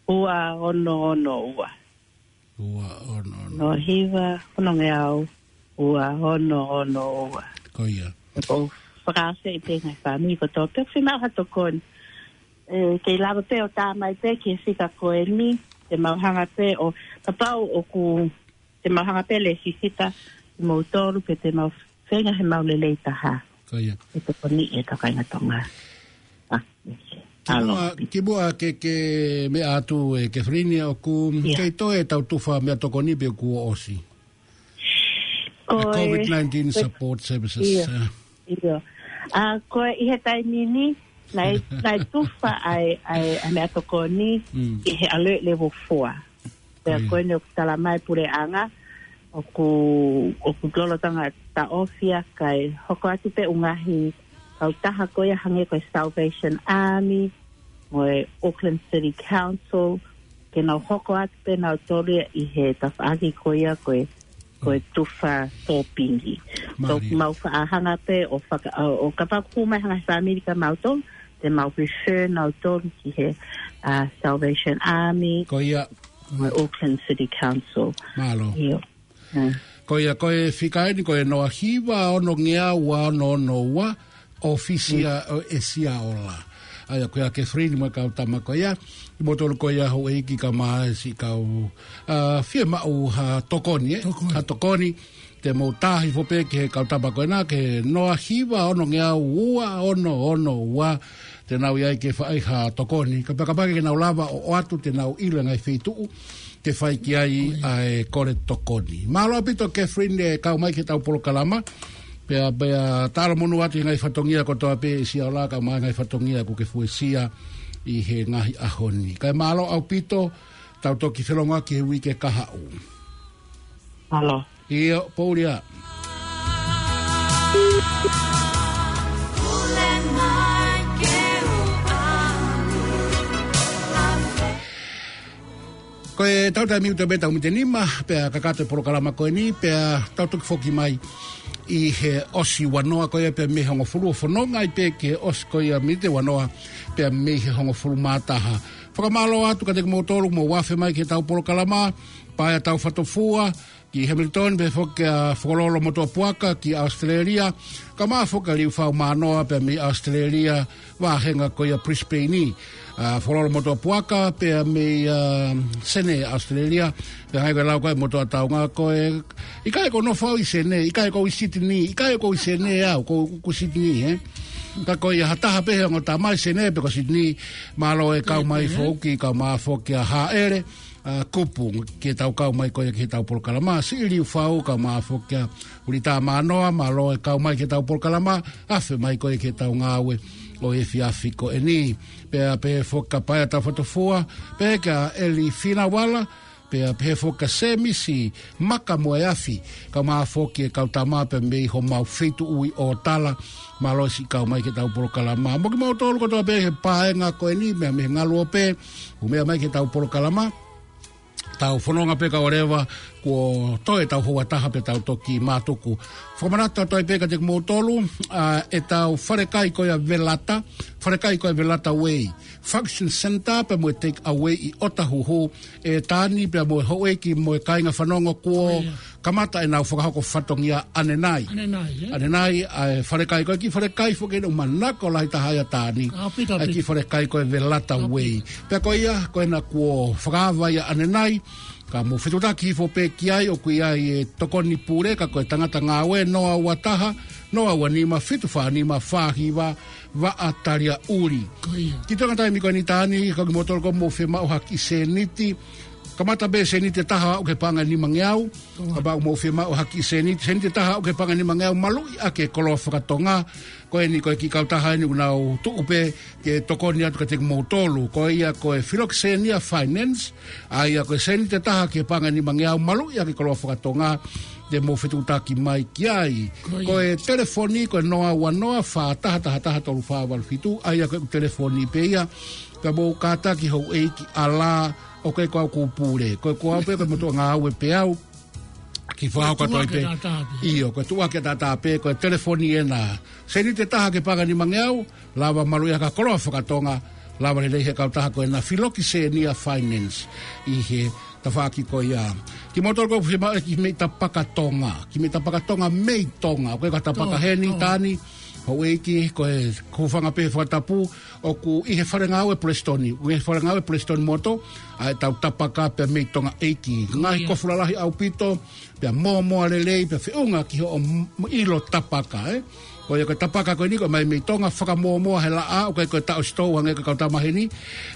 ua ono ono ua. Ua ono ono. Noa hiva, ono ngeau, ua ono ono ua. Ko ia. Ko e fakaafeʻi pē ngaahi fāmili kotoa pē ʻoku fiemaʻu ha tokoni. ʻE, kei lava pē ʻo tā mai pē ki he fika ko eni, te mau hanga pē ʻo, kapau ʻoku, te mau hanga pē ʻo lēsisita kimoutolu pea te mau feinga he mau lelei taha. Ko ia. ʻE tokoni ʻi he kāinga Tonga. Ah, alo. Kimuʻa, kimuʻa ke, ke meʻa atu ʻe Catherine ʻoku Ia. kei toe ʻetau tufa meʻatokoni pe kuo ʻosi. Ko e, COVID nineteen ko e, Support Services, ia, eh. Ia. ʻA, ko e ʻi he taimi ni, naʻe, naʻe tufa ʻa e, ʻa e, ʻa e meʻatokoni Mm. ʻi he alert level four. Pea Ko ia. ko eni ʻoku tala mai puleʻanga, ʻoku, ʻoku lolotonga taʻofi ia kae hoko atu pē ʻū ngaahi kautaha ko ia hangē ko e Salvation Army, mo e Auckland City Council, ke nau hoko atu pē nautolu ia ʻi he tafaʻaki ko ia ko e, ko e tufa sōpingi. Mālie. So, mau faʻa hanga pē ʻo faka-, ʻo, ʻo kapau ʻoku mai ha ngaahi fāmili kia mautolu, te mau refer nautolu ki he, uh, Salvation Army, Ko ia. mo e Auckland City Council. Mālō. ʻIo. Mm. Ko ia, ko e fika eni, ko e noa hiva ono ngeau ua ono ono ua, ʻōfisi Mm. ʻa, ʻo e Siola. ʻA ia, ko ia Catherine mo e kau tama ko ia, kimoutolu ko ia houʻeiki kae ʻumaʻā siʻi kau, ah, fiemaʻu ha tokoni, eh? Tokoni. Ha tokoni, te mou tā hifo pē ki he kau tama ko ena, ki he noa hiva ono ngeau ua ono ono ua, te nau ʻi ai ke fai ha tokoni. Kapakapa ke nau lava ʻo ʻoatu, te nau ʻilo e ngaahi feituʻu ke fai ki ai ʻa e kole tokoni. Mālō ʻaupito Catherine ʻi he kau mai ki heʻetau polokalama. Pea, pea talamonū atu he ngaahi fatongia kotoa pē ʻe Siola kae ʻumaʻā e ngaahi fatongia kuo ke fuesia ʻi he ngaahi ʻaho ni. Kae mālō ʻaupito, tau toki felongoaki he uike kahaʻu. Mālō. ʻIo, poʻuli ā. Ko e tau taimi ʻoku tau pē tau miniti nima, pea kakato e polokalama ko eni, pea tau toki foki mai ʻi he ʻosi ua noa ko ia pea mei he hongofulu ʻo fononga ai pē ki he ʻosi ko ia miniti ua noa pea mei he hongofulu mā taha. Fakamālō atu kiate kimoutolu mou afe mai ki heʻetau polokalama, Paea Taufatofua, ki Hamilton, pehē foki kia Fokololo Motuʻapuaka ki Australia, kae ʻumaʻā foki kia Liufau Mānoa pea mei Australia, vāhenga ko ia Brisbane. ʻA, Fokololo Motuʻapuaka pea mei, ʻa, Senē, Australia, pea hangē ko e lau ko ē ʻa e motuʻa taunga ko ē, ʻikai ko e nofo au ʻi Senē, ʻikai ko au ʻi Sydney, ʻikai ko au ʻi Senē au, ko, ko Sydney, eh? Ka ko ia ha taha pē he ongo tama ʻi Senē pe ko Sydney, mālō e kau mai foki, kae ʻumaʻā foki kia Haʻele, ʻa, Kupu, ke tau kau mai ko ia ki heʻetau polokalama, siʻi Liufau kae ʻumaʻā foki kia Ulita Mānoa, mālō e kau mai ki heʻetau polokalama, afe mai ko ia ki heʻetau ngāue ʻo e efiafi ko eni. Pea pehē foki kia Paea Taufatofua, pehē kia ʻEli Finauala, pea pehē foki kia Semisi Maka mo e afi, kae ʻumaʻā foki e kau tama pea mei homau feituʻu ʻi ʻŌtala, mālō siʻi kau mai ki heʻetau polokalama. Mo kimoutolu kotoa pē he paenga ko eni, meʻa mei he ngaluope, ʻoku meʻa mai ki heʻetau polokalama. Tau fononga pē kae ʻoua leva kuo toe ʻetau houa taha pea tau toki mātuku. Fakamanatu atu ai pē kiate kimoutolu, ʻa, ʻetau falekai ko ia Velata, falekai ko ia Velata Way Function Center pea mo e take away ʻi ʻOtahuhu, ʻe Tani pea mo e houʻeiki mo e kāinga fanongo kuo kamata ʻenau fakahoko fatongia ʻanenai. ʻAnenai, ē? ʻAnenai, ʻa e falekai ko e kiʻi falekai foki ʻoku manako lahi taha ia Tani. ʻAupito, ʻa e kiʻi ʻaupito. Falekai ko e Velata Way. Pea ko ia, ko ena kuo fakaava ia ʻanenai, ka mou fetuʻutaki hifo pē ki ai, ʻoku ʻi ai e tokoni pule, ka ko e tangata ngāue, noa ua taha, noa ua nima, fitu fā nima, fā hiva, Vaʻa Taliaʻuli. Ko ia. Kiʻi toenga taimi ko eni Tani, ka kimoutolu ʻoku mou fiemaʻu ha kiʻi sēniti. Kamata pē sēniti ʻe taha aʻu ki he paʻanga ʻe nimangeau. Ko ia. Kapau ʻoku mou fiemaʻu ha kiʻi sēniti, sēniti ʻe taha aʻu ki he paʻanga ʻe nimangeau, maluʻi ʻaki e koloa fakatonga. Ko eni ko e kiʻi kautaha eni ʻoku nau tuʻu pē ke tokoni atu kiate kimoutolu. Ko ia ko e Philoxenia Finance, ʻa ia ko e sēniti ʻe taha ki he paʻanga ʻe nimangeau, maluʻi ʻaki e koloa fakatonga, te mou fetuʻutaki mai ki ai. Ko ia. Ko e telefoni, ko e noa ua noa, fā taha taha taha, tolu fā valu fitu, ʻa ia ko e telefoni pē ia, ka mou kātaki houʻeiki ʻAlā, ʻoku ʻikai ko au ʻoku pule. Ko e ko au pē, ko e motuʻa ngāue pē au, kiʻi fakahoko atu ai pē. Tuʻu ʻaki ʻataʻatā pē. ʻIo, ko e tuʻu ʻaki ʻataʻatā pē, ko e telefoni ena. Sēniti ʻe taha ki he paʻanga ʻe nimangeau, lava maluʻi ʻaki e koloa fakatonga, lava lelei ʻe he kautaha ko ena Philoxenia Finance ʻi he tafaʻaki ko ia. Kimoutolu ʻoku fiemaʻu e kiʻi meʻi tapaka Tonga, kiʻi meʻi tapaka Tonga mei Tonga, ʻoku ʻikai ko ha tapaka Tonga, heni Tonga. Tani, houʻeiki, ko e hūfanga pē he fakatapu, ʻoku ʻi he fale ngāue Prestoni, ʻi he fale ngāue Prestoni Motor, ʻa ʻetau tapaka pea mei Tonga ʻeiki. Ko ia. Ngaahi kofu lalahi ʻaupito, pea mōmoa lelei, pea feʻunga ki hoʻo m-, ʻilo tapaka, ē. Ko ia ko e tapaka ko eni ko e mai mei Tonga, fakamōmoa he laʻā, ʻoku ʻikai ko e taʻo sitou hangē ko e kau tama heni,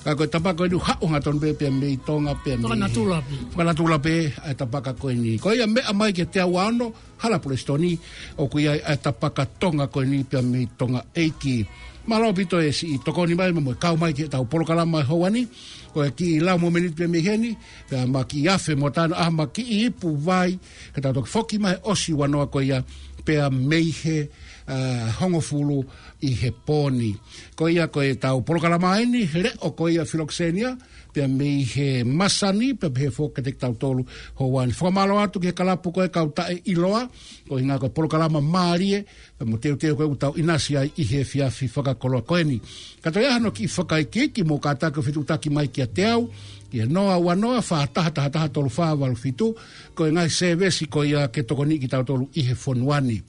ka ko e tapaka ko eni ʻoku haʻu hangatonu pē pea mei Tonga, pea mei he fakanatula pē. Fakanatula pē, ʻa e tapaka ko eni. Ko ia meʻa mai ki he teau ua ono, Hala Prestoni, ʻoku ʻi ai ʻa e tapaka Tonga ko eni pea mei Tonga ʻeiki. Mālō ʻaupito e siʻi tokoni mai mo e kau mai ki heʻetau polokalama he houa ni, ko e kiʻi lau momeniti pē mei heni, pea ma kiʻi afe mo Tani, ʻa ma kiʻi ipu vai, ka tau toki foki mai he ʻosi ua noa ko ia, pea mei he, ʻa, hongofulu ʻi he pō ni. Ko ia ko ʻetau polokalama eni, leʻo ko ia Philoxenia, pea mei he masani, pea pehē foki kiate kitautolu he houa ni. Fakamālō atu ki he kalapu ko e Kau Taʻeʻiloa, ko e ʻuhinga ko e polokalama mālie, pea mo e teuteu ko ē ʻoku tau ʻinasi ai ʻi he efiafi fakakoloa ko eni. Ka toe ʻi ai hano kiʻi fakaikiiki, mou kātaki ʻo fetuʻutaki mai kiate au, ki he noa ua noa, fā taha taha taha, tolu fā valu fitu, ko e ngaahi sēvesi ko ia ke tokoniʻi kitautolu ʻi he fonua ni.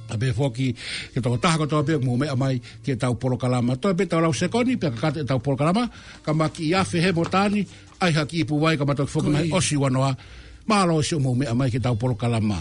ʻA pehē foki ki he tokotaha kotoa pē ʻoku mou meʻa mai ki heʻetau polokalama. Toe pē ʻetau lau sekoni, pea kakato ʻetau polokalama, ka ma kiʻi afe he mo Tani, ʻai ha kiʻi ipu vai ka ma toki foki mai he ʻosi ua noa. Mālō siʻomou meʻa mai ki heʻetau polokalama.